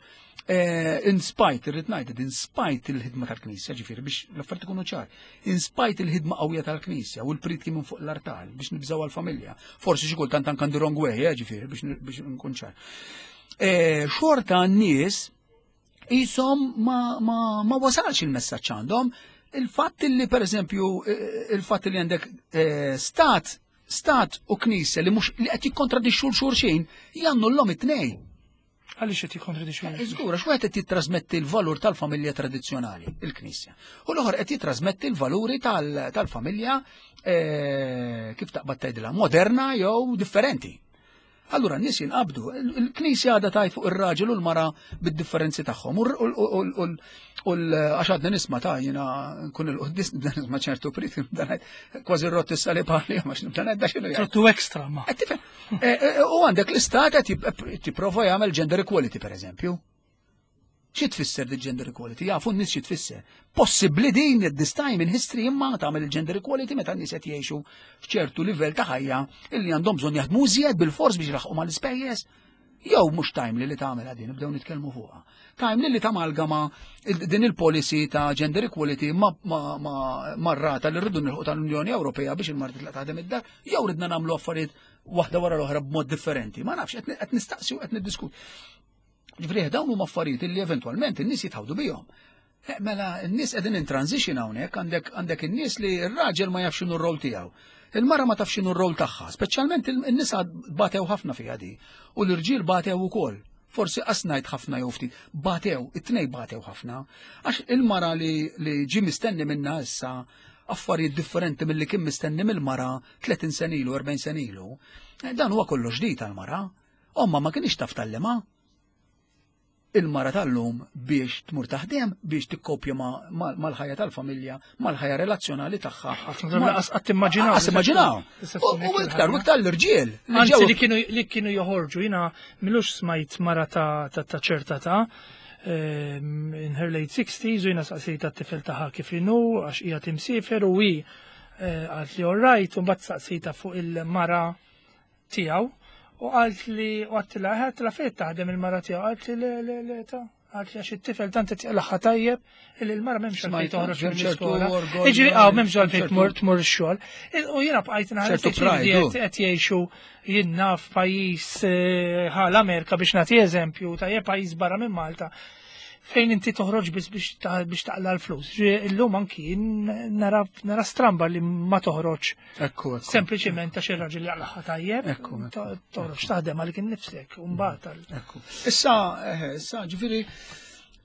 eh, in spite, irrid ngħid, in spite il-ħidma tal-Knisja, ġifieri biex l-affarijiet ikunu ċar, in spite il-ħidma qawwija tal-Knisja u l-priedki minn fuq l-artal biex nibżaw għal-familja. Forsi xi kultant anke the wrong way, eh, ġifieri biex nkun ċar. Eh, xorta n-nies jisom ma, ma, ma wasalx il-messaġġ għandhom. Il-fatt li per eżempju, il-fatt li għandek eh, stat, stat u knisja li mhux li qed jikkontradixxu 'l xulxin, jannullhom it-tnejn. Għaliex qed jikkontradixxu? Eh, żgur, għax wieħed qed jittrasmetti l-valur tal-familja tradizzjonali, il-Knisja. U l-oħor qed jittrasmetti l-valuri tal-familja eh, kif taqbad tgħidilha, moderna jew differenti. Allura n-nies jinqabdu, il-Knisja għadha tgħid fuq ir-raġel u l-mara bid-differenzi tagħhom. U għax għadna nisma' ta' jiena nkun il-quddies nibda nisma' ċertu priedki nibda ngħid kważi rott is-salib għalija għax nibda ngħid da x'inhu jgħid. Trottu extra ma. Qed tifhem? Eh, eh, u għandek l-istat qed jipprova jagħmel gender equality pereżempju. Xi tfisser di gender equality? Jafu n-nies xi tfisser. Possibbli din at this time in history imma tagħmel il-gender equality meta n-nies qed jgħixu f'ċertu livell ta' ħajja illi għandhom bżonn jaħdmu iżjed bil-fors biex jlaħqu mal-ispejjeż. Jew mhux timely li tagħmel din, nibdew nitkellmu fuqha. Timely li tamalgama din il-policy ta' gender equality ma, ma, ma, marrata li rridu nilħu tal-Unjoni Ewropea biex il-mara titlaq taħdem id-dar, jew ridna nagħmlu affarijiet waħda wara l-oħra b'mod differenti. Ma nafx, qed nistaqsi u qed niddiskuti. Ġifieri dawn huma affarijiet li eventwalment in-nies jitħawdu bihom. Eh, mela n-nies qegħdin in transition hawnhekk għandek għandek in-nies li r-raġel ma jafx x'inhu r-rol tiegħu. Il-mara ma tafx x'inhu r-rol tagħha, speċjalment in-nisa batew ħafna fiha di u l-irġiel batew ukoll. Forsi qas ngħid ħafna jew ftit, batew, it-tnej batew ħafna. Għax il-mara li, li ġi mistenni minna issa affarijiet differenti milli kien mistenni mill-mara 30 sena ilu, 40 sena ilu, eh, dan huwa kollox ġdid għall-mara. Omma ma kienx taf tgħallimha il-mara tal-lum biex tmur taħdem, biex tikkopja mal-ħajja tal-familja, mal-ħajja relazzjonali tagħha. Lanqas qatt immaġinaw. Qas immaġinaw. U iktar, u iktar l-irġiel. Anzi li kienu li kienu joħorġu, jiena m'ilux smajt mara ta' ċerta ta' ehm, in her late 60s u jiena saqsejta t-tifel tagħha kif inhu għax hija timsiefer u hi eh, qalt li all right u mbagħad saqsejta fuq il-mara tiegħu u qalt li u għedtilha għedtilha fejn taħdem il-mara tiegħu qalt li le le le ta' Għax it-tifel tant qed jaqlaħħa tajjeb illi l-mara m'hemmx għalfejn Smajt, toħroġ hemm ċertu mill-iskola. orgoglju, Jiġri hawn m'hemmx għalfejn ċertu- tmur tmur ix-xogħol. U jiena bqajt nħares ċertu pride, u. qed jgħixu jiena f'pajjiż eh, ħal Amerika biex nagħti eżempju tajjeb pajjiż barra minn Malta fejn inti toħroġ biss biex ta- biex taqla l-flus. Ġi, Illum anki nara nara stramba li ma toħroġ Ekku, ekku. sempliċiment għax ir-raġel jaqlaħħa tajjeb, Ekku, ekku. to- toħroġ taħdem għalik innifsek u mbagħad għal- Ekku. Issa, eh, issa, ġifieri,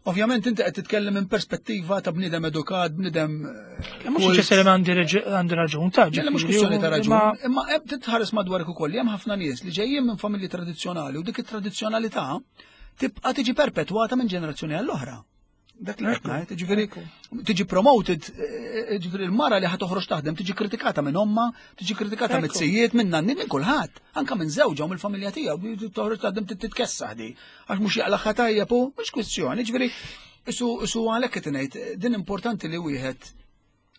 ovvjament inti qed titkellem minn perspettiva ta' bniedem edukat, bniedem. eh, Mhux kult. ċesseri għandi reġ- għandi raġun ta' Le, mhux ġifieri, kwistjoni ta' raġun, imma- imma hemm titħares madwarek ukoll li hemm ħafna nies li ġejjin minn familji tradizzjonali u dik it-tradizzjonalità tibqa' tiġi perpetwata minn ġenerazzjoni għall-oħra. Dak li qed ngħid, ġifieri tiġi promoted, eh, ġifieri l-mara li ħa toħroġ taħdem tiġi kritikata minn omma, tiġi kritikata minn Ekku. sijiet, minn nanni, minn kulħadd, anka minn żewġha u mill-familja tiegħu, toħroġ taħdem titkessaħ di. Għax mhux jaqlaħħa tajjeb u mhux kwistjoni, ġifieri isu isu għalhekk qed ngħid din importanti li wieħed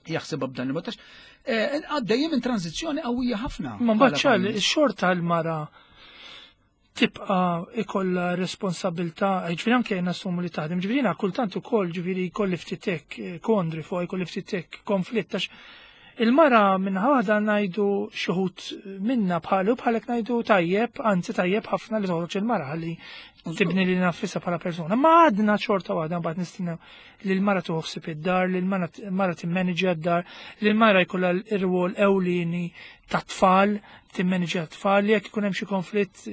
jaħsibha b'dan il-mod. Għax, eh, Għaddejjem minn tranzizzjoni qawwija ħafna. Ma mbagħad bħala ċar, pajjiż. xorta l-mara tibqa ikolla responsabilità, ġifieri anke nassumu li taħdem, ġifieri jiena kultant ukoll ġifieri jkolli ftit hekk eh, kondri fuq jkolli ftit hekk konflitt għax il-mara minn waħda ngħidu xi wħud minna bħalu bħalek ngħidu tajjeb, anzi tajjeb ħafna li toħroġ il-mara ħalli tibni li nafisha bħala persuna. Ma għadna xorta waħda mbagħad nistennew li l-mara tuħsib id-dar, li l-mara timmanġja d-dar, li l-mara jkollha l-irwol ewlieni ta' tfal, timmanġja t-tfal, li jekk ikun hemm xi konflitt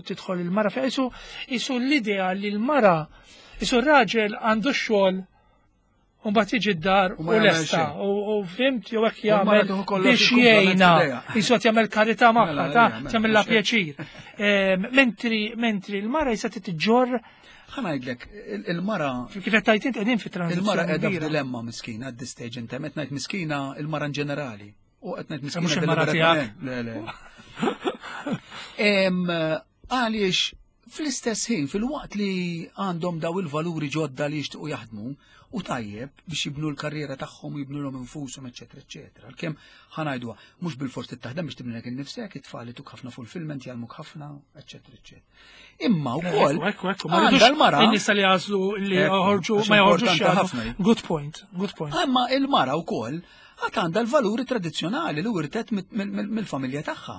tidħol il-mara fejn isu isu l-idea li l-mara isu r-raġel għandu x-xogħol u mbagħad jiġi d-dar U u ma jagħmel lesta xejn. u u fhimt jew hekk U l-mara jagħmel tieħu kollox biex il-kumplament jgħinha f'idejha. jisu qed jagħmel karità magħha Mela, ta' ejja, mela, tagħmilha mhux hekk. pjaċir. Ehm, Mentri mentri l-mara jisa titġorr Ħa ngħidlek, il-mara kif qed tgħid int qegħdin fi il-mara tranzizzjoni qiegħda kbira. f'dilemma miskina at this stage inta qed ngħid miskina il-mara in ġenerali. U qed ngħid miskina Mhux il-mara deliberatament. Le, le. Em, Għaliex fl-istess ħin, fil-waqt li għandhom daw il-valuri ġodda li jixtiequ jaħdmu u tajjeb biex jibnu l-karriera tagħhom u jibnu l-hom infushom, eċetera, eċetera. Għalkemm ħa ngħiduha, mhux bil-fors taħdem biex tibni lek innifsek, it-tfal ituk ħafna fulfillment, jgħallmuk ħafna, eċetera, eċetera. Imma wkoll Ekku, ekku, ekku, ma għandha rridux l-mara in-nisa li għażlu li Ekku, joħorġu għax ma joħorġux importanti jaħdmu. ħafna. Good point, good point. Imma il-mara wkoll għad għandha l-valuri tradizzjonali li wirtet mill-familja tagħha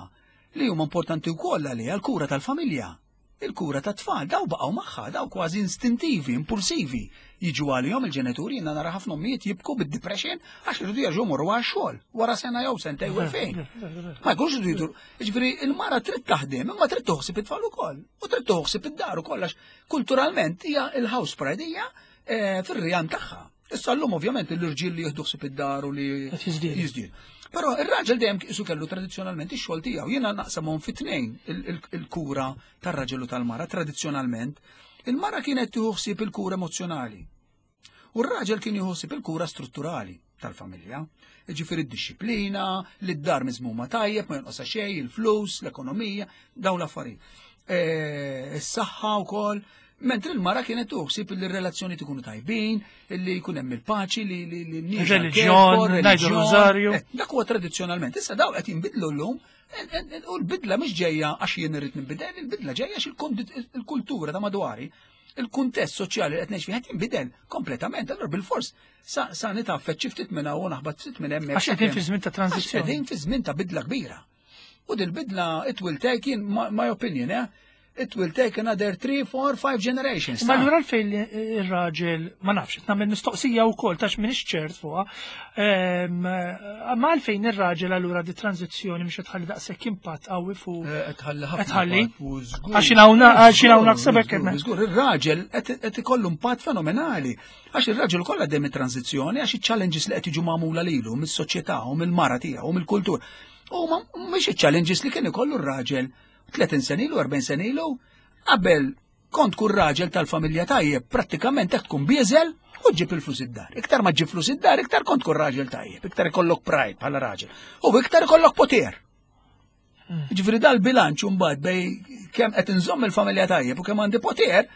li huma importanti wkoll għaliha l-kura tal-familja. Il-kura tat-tfal, daw baqgħu magħha, daw kważi istintivi, impulsivi. Jiġu għalihom il-ġenituri, jiena nara ħafna ommijiet jibku bid-depression għax iridu jerġgħu morru għax-xogħol wara sena jew sentejn u fejn. Ma jkunx iridu jidur. Jiġifieri il-mara trid taħdem, imma trid toħsib it-tfal ukoll. U trid toħsib id-dar ukoll għax kulturalment hija il-house pride hija eh, fir-rjam tagħha. Issa llum ovvjament l-irġiel li jieħdu ħsieb id-dar u li Qed jiżdiedu. jiżdiedu. Però ir-raġel dejjem isu kellu tradizzjonalment ix-xogħol tiegħu. Jiena naqsamhom fi tnejn il-kura tar-raġel u tal-mara tradizzjonalment. Il-mara kienet tieħu ħsieb il-kura emozzjonali. U r-raġel kien jieħu ħsieb il-kura strutturali tal-familja. Ġifieri d-disciplina, li d-dar miżmuma tajjeb, ma jonqosha xejn, il-flus, l-ekonomija, dawn l-affarijiet. Eh, Is-saħħa wkoll. Mentri l-mara kienet tuħsib li r-relazzjoni tkunu tajbin, li jkun hemm il-paċi, li li li n-nies Reliġjon, għal-kefor, ngħidu reliġjon. rużarju. Eh, Dak huwa tradizzjonalment. Issa daw qed jinbidlu llum eh, eh, u l-bidla mhix ġejja għax jien irrid nibidel, il-bidla ġejja għax il-kultura ta' madwari, il-kuntest soċjali li qed ngħix fih qed jinbidel kompletament. Allura bil-fors sa sa nitaffet xi ftit minn hawn u naħbat ftit minn hemmhekk. Għax qegħdin fi żmien ta' Għax tranzizzjoni. qegħdin fi żmien ta' bidla kbira. U dil-bidla it will take in my, my opinion, eh? It will take another 3, 4, 5 generations. Ma allura għalfejn li ir-raġel, ma nafx, nagħmel mistoqsija wkoll tax m'iniex ċert fuqha. Ehm, Ma għalfejn ir-raġel allura di tranzizzjoni mhux qed tħalli daqshekk impatt qawwi fuq. Eh, qed tħalli ħafna Qed tħalli? impatt, u żgur. Għax hawn- għax hawn naħseb hekk Żgur, hemm. Żgur, ir-raġel qed qed ikollu impatt fenomenali. Għax ir-raġel kollha dejjem it-tranzizzjoni, għax iċ-challenges li qed jiġu magħmula lilu mis-soċjetà u mill-mara tiegħu u mill-kultur. U ma mhix iċ-challenges li kien ikollu r-raġel 30 sena ilu, 40 sena ilu, qabel kont kun raġel tal-familja tajjeb, prattikament hekk tkun bieżel u ġib il-flus id-dar. Iktar ma ġib flus id-dar, iktar kont kun raġel tajjeb, iktar ikollok pride bħala raġel. U iktar ikollok poter. Ġifieri dal-bilanċ mbagħad bej kemm qed inżomm il-familja tajjeb u kemm għandi poter,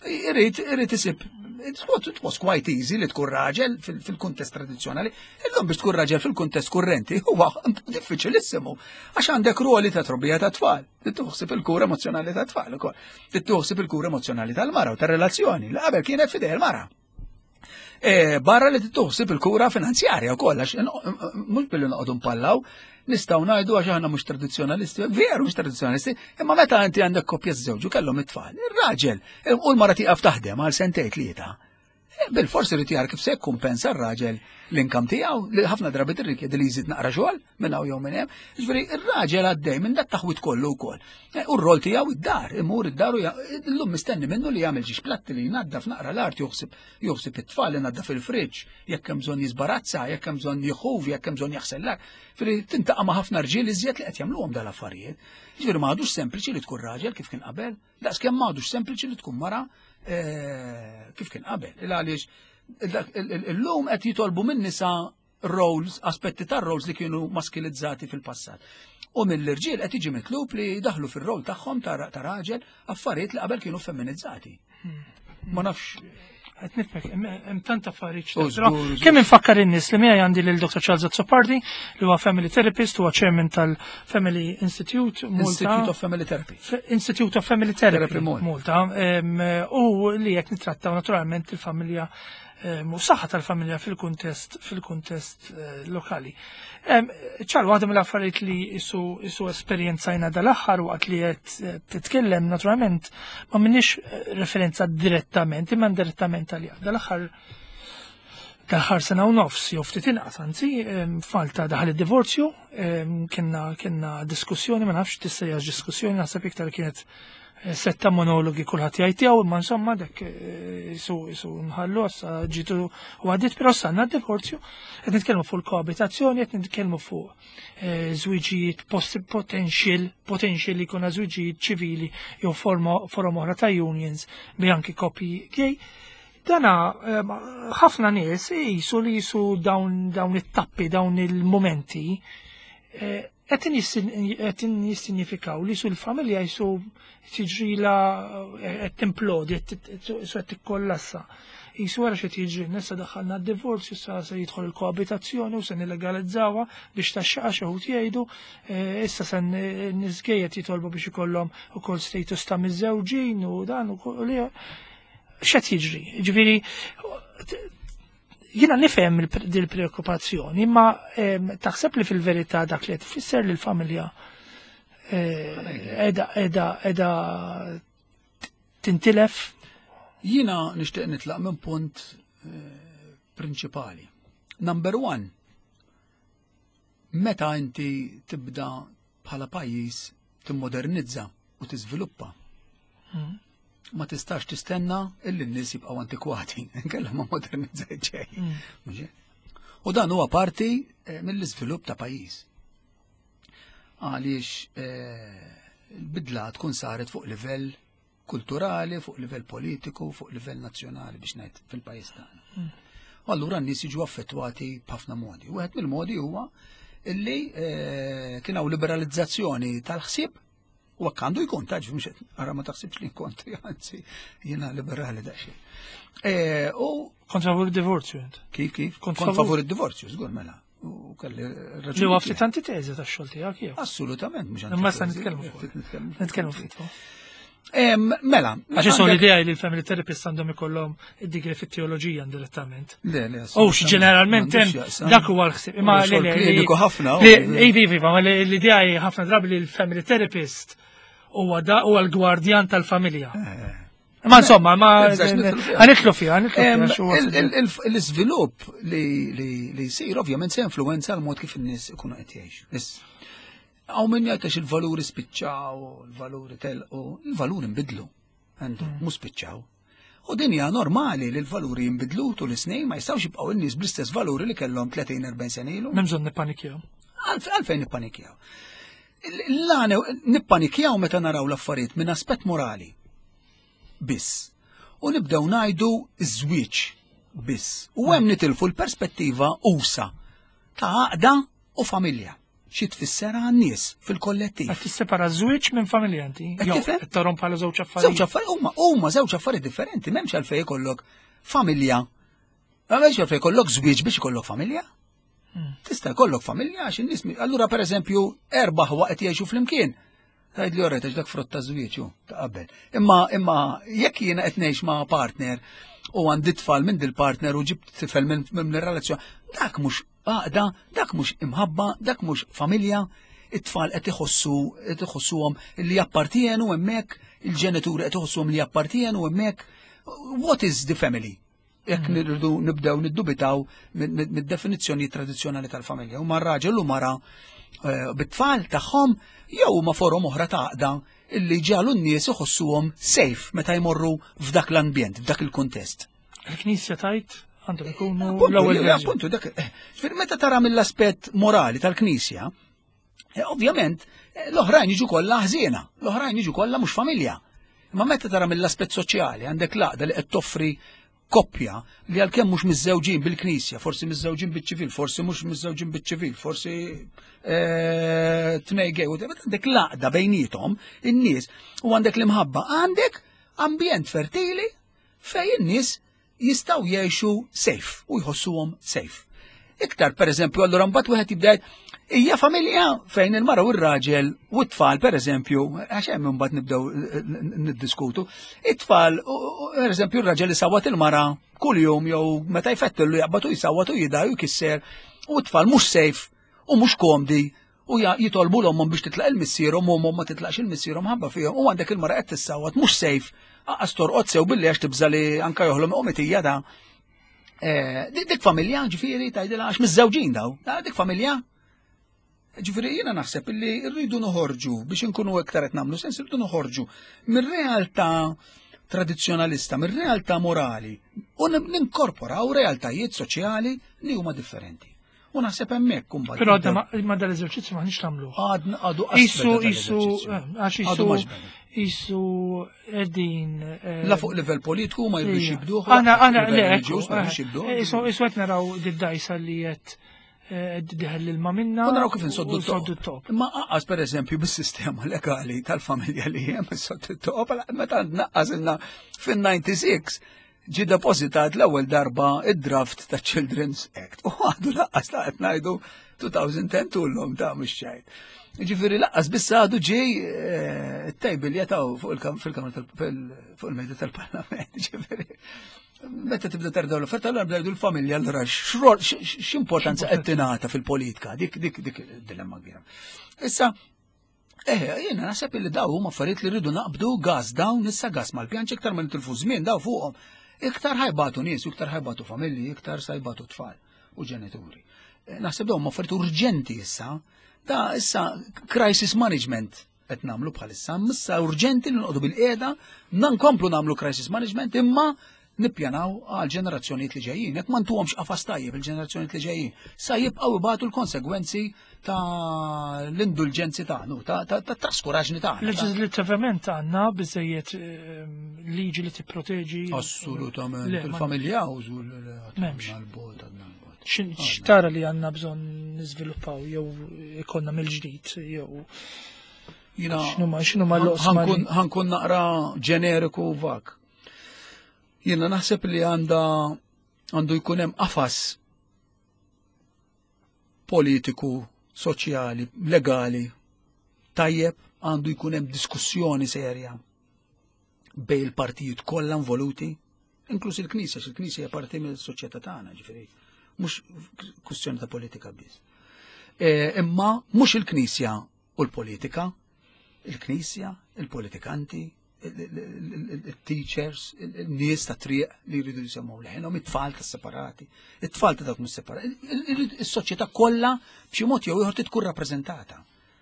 irid irid isib It was quite easy li tkun raġel fil-kuntest tradizzjonali. Illum biex tkun raġel fil-kuntest kurrenti huwa diffiċilissimu għax għandek ruoli ta' trobbija ta' tfal. Tittuħsib il-kura emozjonali ta' tfal ukoll. Tittuħsib il-kura emozjonali tal-mara u tar-relazzjoni li qabel kienet fidej il-mara. E, barra li tittuħsib il-kura finanzjarja wkoll għax mhux billi noqogħdu npallaw, nistgħu ngħidu għax aħna mhux tradizzjonalisti, veru mhux tradizzjonalisti, imma meta inti għandek koppja żewġu kellhom it-tfal, ir-raġel u l-mara tieqaf taħdem għal sentejn tlieta. E, bil-forsi irid jara kif se jikkumpensa r-raġel l-inkam tiegħu li ħafna drabi tirrikjedi li jżid naqra xogħol minn hawn jew minn hemm. Jiġifieri r-raġel għaddej minn dat taħwit kollu wkoll. E, u r-rol tiegħu id-dar, imur id-dar u llum mistenni minnu li jagħmel ġiex platti li jnaddaf naqra l-art joħsib joħsib it-tfal inaddaf il-friġġ, jekk hemm bżonn jiżbarazza, jekk hemm bżonn jħuv, jekk hemm bżonn jaħsel l Firri tintaqa' ma' ħafna rġiel iżjed li qed jagħmluhom dal-affarijiet. Jiġifieri ma għadux sempliċi li tkun raġel kif kien qabel. Daqskemm m'għadux sempliċi li tkun mara eh, kif kien qabel. Il għaliex illum qed jitolbu minn nisa roles, aspetti tar roles li kienu maskilizzati fil-passat. U mill-irġiel qed jiġi mitlub li daħlu fir-rol tagħhom ta' raġel affarijiet li qabel kienu femminizzati. Ma nafx Qed nifhmek, hemm tant affarijiet. Kemm infakkar in-nies li miegħi għandi lil Dr. Charles Azzopardi li huwa family therapist, huwa chairman tal-Family Institute Malta. Institute of Family Therapy. Institute of Family Therapy Malta. U li qed nittrattaw naturalment il-familja u saħħa tal-familja fil-kuntest fil-kuntest eh, lokali. Ċar, waħda mill-affarijiet li isu, isu esperjenzajna dal-aħħar waqt li qed eh, titkellem naturalment ma minniex eh, referenza direttament, imma indirettament għalija. Dal-aħħar dal-aħħar sena u nofs, jew ftit inqas anzi, f'Malta daħal id-divorzju, kienna kienna diskussjoni, ma nafx tissejjax diskussjoni, naħseb iktar kienet setta monologi kulħadd jgħid tiegħu, imma insomma dak eh, isu isu nħallu issa ġitu u għaddit, però sanna d-divorzju, qed nitkellmu fuq il-koabitazzjoni, qed nitkellmu fuq eh, żwiġijiet potential, potential li jkun żwiġijiet ċivili jew forma forom oħra ta' unions bi anki koppji gay. Dana eh, ħafna nies jisu li jisu dawn dawn it-tappi, dawn il-momenti Qed jissinjifikaw li su l-familja jisu tiġrila qed timplodi, su qed tikkollassa. Jisu wara xi tiġri, nessa daħħalna d-divorzju, sa se jidħol il-koabitazzjoni u se nilegalizzawha biex taxxaqa xi wħud jgħidu, eh, issa se nisgejjed jitolbu biex ikollhom ukoll status ta' miżżewġin u dan u x'qed jiġri. Ġifieri Jiena nifhem dil-preokkupazzjoni, imma taħseb li fil-verità dak li qed tfisser li l-familja eh, edha edha tintilef? Jiena nixtieq nitlaq minn punt eh, prinċipali. Number one, meta inti tibda bħala pajjiż timmodernizza u tiżviluppa. Hmm. Ma tistax tistenna illi n-nies jibqgħu antikwati, inkella ma modernizzajt xejn. Hmm. U dan huwa parti eh, mill-iżvilupp ta' pajjiż. Għaliex eh, il-bidla tkun saret fuq livell kulturali, fuq livell politiku, fuq livell nazzjonali biex ngħid fil-pajjiż tagħna. Hmm. U allura n-nies jiġu affettwati b'ħafna modi. Wieħed mill-modi huwa illi eh, kien hawn liberalizzazzjoni tal-ħsieb u hekk għandu jkun taġ mhux ara ma taħsibx li kont anzi jiena liberali daqsxejn. Eh, u kont favur id-divorzju int. Kif kif? Kont favur id-divorzju, żgur mela. U kelli raġuni. Li huwa ftit antiteżi tax-xogħol tiegħek jew. Assolutament mhux Imma sa nitkellmu fuq. Nitkellmu ftit. Mela. Għax isu l-idea li l-family therapist għandhom ikollhom id-digri fit-teoloġija indirettament. Le, le. U ġeneralment hemm dak huwa l-ħsieb. Imma li kliniku ħafna. Iva, iva, ma l-idea hi ħafna drabi li l-family therapist huwa l-gwardjan tal-familja. Eh. Ma insomma, ma għanitlu fiha, għanitlu L-iżvilupp li jsir ovvjament se influenza l-mod kif in-nies ikunu qed jgħixu. Hawn min jgħid il-valuri spiċċaw, il-valuri telqu, il-valuri nbidlu. Għandu, mm. mhux spiċċaw. U din hija normali li l-valuri jinbidlu tul is-snin ma jistgħux jibqgħu n-nies bl-istess valuri li kellhom 30-40 sena ilu. M'hemm bżonn nippanikjaw. Għalfejn nippanikjaw. L-għana nippanikjaw meta naraw l-affarijiet minn aspett morali. Biss. U nibdew ngħidu żwieġ biss. U hemm nitilfu l-perspettiva usa ta' għaqda u familja. Xi tfisser għan-nies fil-kollettiv. Qed tissepara żwieġ minn familja inti. Qed tarhom bħala żewġ affarijiet. Żewġ affarijiet huma huma żewġ affarijiet differenti, m'hemmx għalfejn ikollok. familja. Għaliex għalfejn jkollok żwieġ biex ikollok familja? Tista' jkollok familja għax in-nies allura pereżempju erba' ħwa qed jgħixu flimkien. Tgħid li orret għax dak frott ta' żwieġ ta' qabel. Imma imma jekk jiena qed ngħix ma' partner u għandi tfal minn dil-partner u ġibt tifel minn relazzjoni, dak mhux għaqda, dak mhux imħabba, dak mhux familja, it-tfal qed iħossu qed iħossuhom li jappartienu hemmhekk, il-ġenituri qed iħossuhom li jappartienu hemmhekk. What is the family? Jekk mm. nirridu nibdew niddubitaw mid-definizzjoni tradizzjonali tal-familja. Huma raġel u mara eh, bit-tfal tagħhom jew huma forom oħra ta' għaqda illi ġalu n-nies iħossuhom safe meta jmorru f'dak l-ambjent, f'dak il-kuntest. Il-Knisja tajt għandhom ikunu l-ewwel. Appuntu, dak, eh, meta tara mill-aspett morali tal-Knisja, eh, ovvjament eh, l-oħrajn jiġu kollha ħżiena, l-oħrajn jiġu kollha mhux familja. Imma meta tara mill-aspett soċjali għandek l-għaqda li qed toffri koppja li għalkemm mhux miżżewġin bil-knisja, forsi miżżewġin biċ-ċivil, forsi mhux miżżewġin biċ-ċivil, forsi tnej gej, għandek l-għaqda bejnietom in-nies u għandek l-imħabba, għandek ambjent fertili fejn in-nies jistgħu jgħixu safe u jħossuhom safe. Iktar pereżempju allura mbagħad wieħed jibda hija familja fejn il-mara u r-raġel u t-tfal pereżempju, għax hemm imbagħad nibdew eh, niddiskutu, it-tfal pereżempju r-raġel isawwat il-mara kuljum jew meta jfettillu jaqbad u jsawwat u jida u jkisser u t-tfal mhux safe u mhux komdi u jitolbu l-ommhom biex titlaq il-missierhom u ommhom ma titlaqx il-missierhom ħabba fihom u għandek il-mara qed tissawwat mhux sejf aqas torqod sew billi għax tibża li anka joħlom omitija da. Eh, dik familja ġifieri tgħidilha għax miż-żewġin daw, dik familja. Ġifieri jiena naħseb illi rridu noħorġu biex inkunu iktar qed nagħmlu sens irridu noħorġu mir-realtà tradizzjonalista, mir-realtà morali u ninkorporaw realtajiet soċjali li huma differenti. U naħseb hemmhekk kumbat. Però għadna ma dal-eżerċizzju maħniex nagħmlu. Għadna għadu Isu isu eh, għax isu isu qegħdin. Eh, La fuq livell politiku ma jridux jibduh. Aħna aħna le eh, isu isu qed naraw did-dajsa li qed diħel l-ilma minna. U naraw kif insoddu t-top. Imma aqqas per eżempju bis-sistema legali tal-familja li hemm insoddu t-top, meta naqqas ilna fin-96 ġie depożitat l-ewwel darba id-draft ta' Children's Act. U għadu laqqas ta' qed ngħidu 2010 tullhom ta' mhux ċajt. Ġifieri laqqas biss għadu ġej eh, tejbil jataw fuq il-kamra fuq il-mejda tal-parlament. Ġifieri meta tibda terdaw l-offerta, allura bdejdu l-familja allura x'importanza qed tingħata fil-politika, dik dik dik dilemma kbira. Issa, Eh, jiena naħseb li daw huma affarijiet li rridu naqbdu gas dawn issa gas mal-pjanċ iktar ma nitilfu żmien daw fuqhom. Iktar ħajbatu nies, iktar ħajbatu familji, iktar sajbatu tfal u ġenituri. Eh, naħseb dawn huma affarijiet urġenti issa. Da issa crisis management qed nagħmlu bħalissa, issa urġenti li noqogħdu bil-qiegħda, nkomplu nagħmlu crisis management imma nippjanaw għal ġenerazzjonijiet li ġejjin. Jekk ma ntuhomx qafas tajjeb il-ġenerazzjonijiet li ġejjin, sa jibqgħu ibatu l-konsegwenzi ta' l-indulġenzi tagħna, ta' traskuraġni tagħna. Leġislattivament għandna biżejjed ehm, liġi li tipproteġi. Assolutament. Il-familja użu l-bot X'tara li għandna bżonn niżviluppaw jew ikonna mill-ġdid jew Jina, x'numa l-oqsma. Ħankun naqra ġeneriku vak. Jiena naħseb li għandha għandu jkun hemm qafas politiku, soċjali, legali tajjeb għandu jkun hemm diskussjoni serja bej il-partijiet kollha involuti, inkluż il-Knisja, il-Knisja hija parti mill-soċjetà tagħna, ġifieri mhux kwistjoni ta' politika biss. E, imma mhux il-Knisja u l-politika, il-Knisja, il-politikanti, il-teachers, il-nies ta' triq li jridu jisemgħu leħinhom, it-tfal ta' separati, it-tfal ta' dawk mhux separati, is-soċjetà kollha b'xi mod jew ieħor tkun rappreżentata.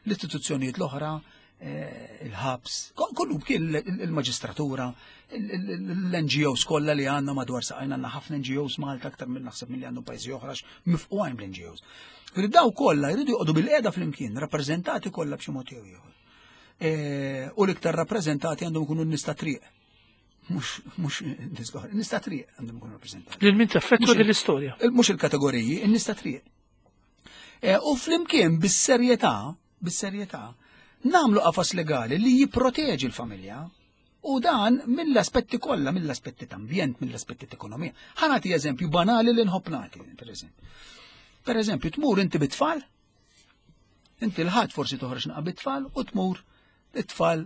L-istituzzjonijiet l-oħra, eh, il-ħabs, kollu kien il-maġistratura, l-NGOs kollha li għandna madwar saqajna għandna ħafna NGOs Malta aktar minn naħseb milli għandu pajjiżi oħra mifqugħin bl-NGOs. Daw kollha jridu joqogħdu bil-qiegħda flimkien, rappreżentati kollha b'xi mod jew ieħor. E, u l-iktar rappreżentati għandhom ikunu n-nies ta' triq. Mhux nies l-oħra, n-nies ta' triq għandhom ikunu rappreżentati. Lil min taffettwa din l-istorja. Mhux il-kategoriji, n-nies ta' triq. E, u flimkien bis-serjetà, bis-serjetà, nagħmlu qafas legali li jipproteġi l-familja. U dan mill-aspetti kollha, mill-aspetti ta' ambjent, mill-aspetti ta' ekonomija. Ħa nagħti eżempju banali li nħobb nagħti, per eżempju. Per eżempju, tmur inti bit-tfal, inti l-ħadd forsi toħroġ naqa' bit-tfal u tmur it-tfal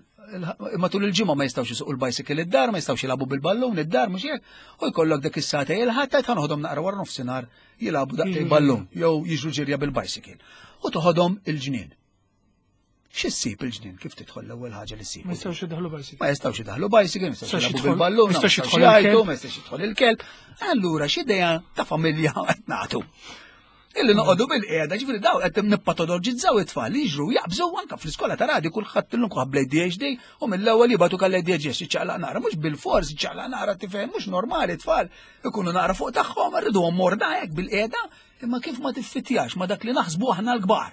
matul il-ġimgħa ma jistgħux isuqu l-bicycle id-dar, ma jistgħux jilagħbu bil-ballun id-dar mhux hekk, u jkollok dak is-sagħtej il-ħadd tgħid ħanoħodhom naqra wara nofsinhar jilagħbu daqsxejn ballun jew jiġru ġirja bil-bicycle. U toħodhom il-ġnien. Xi ssib il-ġnien kif tidħol l-ewwel ħaġa li ssib? Ma jistgħux idaħlu bicycle. Ma jistgħux idaħlu bicycle, ma jistgħux jilagħbu bil-ballun, ma jistgħux jidħol jgħidu, ma jistgħux jidħol il-kelb. Allura x'idea ta' familja qed nagħtu? Illi noqogħdu bil-qiegħda, ġifieri daw qed nippatologizzaw it-tfal li jiġru jaqbżu anke fl-iskola ta' radi kulħadd illum kulħadd bl-ADHD u mill-ewwel jibgħatu kalli ADHD ċaqlaq naqra, mhux bil-fors ċaqlaq naqra tifhem, mhux normali tfal ikunu naqra fuq tagħhom, irriduhom morda hekk bil-qiegħda, imma kif ma tiffitjax ma dak li naħsbu aħna l-kbar.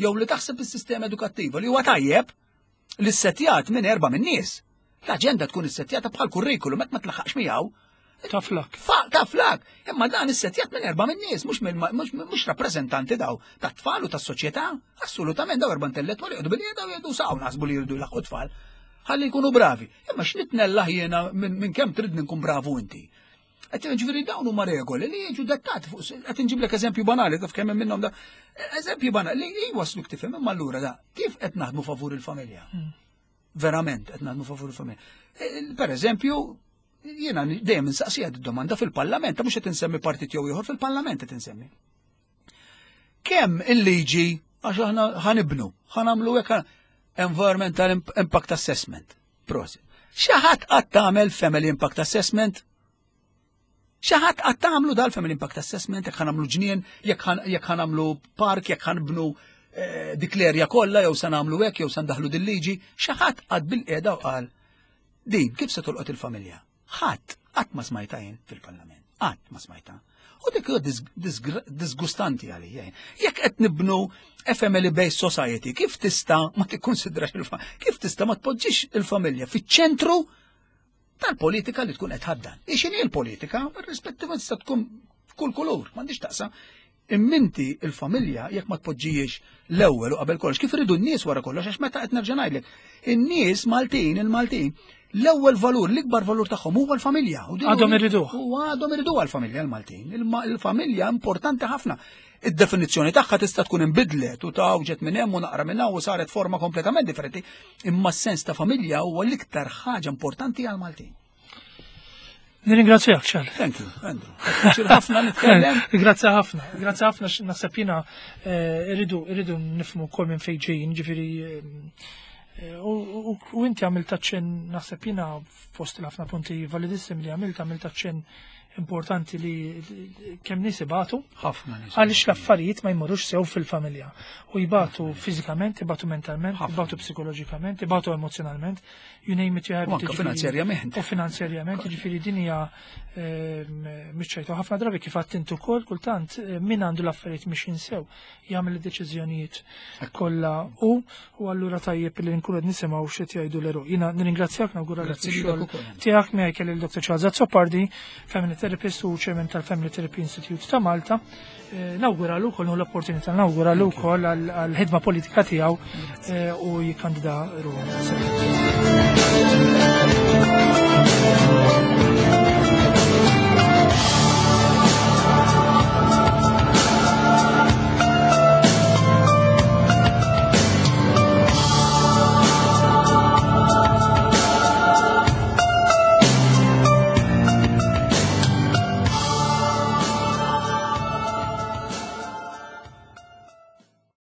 Jew li taħseb is-sistema edukattiva li huwa tajjeb li ssettjat minn erba' minn nies. L-aġenda tkun issettjata bħal kurrikulum hekk ma tlaħħaqx miegħu. Taflak. Taflak. Imma dan issettjat minn erba' minn nies, mhux rappreżentanti daw tat-tfal u tas-soċjetà. Assolutament daw erba' intellettwali jgħidu bil-qiegħda u jgħidu saw naħsbu li jridu jlaħqu tfal. Ħalli jkunu bravi. Imma x'nitnellaħ jiena minn kemm trid nkun bravu inti. Qed ġifieri dawn huma regoli li jiġu dettati fuq qed inġiblek eżempju banali taf kemm minnhom da. Eżempju banali li jwasluk tifhem imma allura da kif qed naħdmu favur il-familja? Hmm. Verament qed naħdmu favur il-familja. E, e, per eżempju, jiena dejjem insaqsija domanda fil-parlament, mhux qed insemmi partit jew ieħor fil-parlament qed insemmi. Kemm il-liġi għax aħna ħanibnu, ħanamlu hekk environmental impact assessment. Prosit. Xi ħadd qatt tagħmel family impact assessment? Xi ħadd qatt tagħmlu dal-family impact assessment jekk ħanamlu ġnien, jekk ħanamlu park, jekk ħanibnu eh, dik l-erja kollha jew se nagħmlu hekk jew se ndaħlu dil-liġi, xi ħadd qatt bil-qiegħda u qal din kif se tolqot il-familja? Ħadd qatt ma smajta jien fil-Parlament. Qatt ma smajta. U dik huwa disgustanti għalija. Jekk qed nibnu a family based society, kif tista' ma tikkonsidrax il-familja, kif tista' ma tpoġġix il-familja fiċ-ċentru tal-politika li tkun qed ħaddan. Ixini l-politika, rispettivament tista' tkun kull kulur, m'għandix taqsam. Imminti il-familja jekk ma tpoġġijiex l-ewwel u qabel kollox, kif iridu n-nies wara kollox, għax meta qed nerġa' ngħidlek, in-nies Maltin, il-Maltin, l-ewwel valur, l-ikbar valur tagħhom huwa l-familja. Għadhom iriduh. U għadhom iriduha l-familja l-Maltin. Il-familja importanti ħafna. Id-definizzjoni tagħha tista' tkun inbidlet u tawġet minn hemm u naqra minn hawn u saret forma kompletament differenti, imma s-sens ta' familja huwa l-iktar ħaġa importanti għall-Maltin. Nirringrazzjak, ċar. Thank you, Andrew. ħafna nitkellem. Grazzi ħafna. Grazzi ħafna naħseb jiena eh, irridu irridu nifhmu wkoll minn fejn ġejjin, ġifieri eh, u inti għamilt aċċenn naħseb jiena fost il-ħafna punti validissimi li għamilt għamilt aċċenn importanti li kemm nies ibatu. Ħafna nies. Għaliex l-affarijiet ma jmorrux sew fil-familja. U jibatu fiżikament, ibatu mentalment, ibatu psikoloġikament, ibatu emozjonalment. you name it, you have it. Finanzjarjament. U finanzjarjament, ġifiri din hija ehm, miċċajtu ħafna drabi kif għadt intu wkoll kultant eh, min għandu l-affarijiet mhix jinsew jagħmel id-deċiżjonijiet kollha u u allura tajjeb li nkunu qed nisimgħu x'qed jgħidu l-eru. Jiena nirringrazzjak nawgura xogħol tiegħek miegħi kelli l-Dr. Charles Azzopardi, Family Therapist u Chairman tal-Family Therapy Institute ta' Malta. Eh, nawguralu wkoll l-opportunità nawguralu wkoll għall-ħidma politika tiegħu eh, u jikkandida ruħu.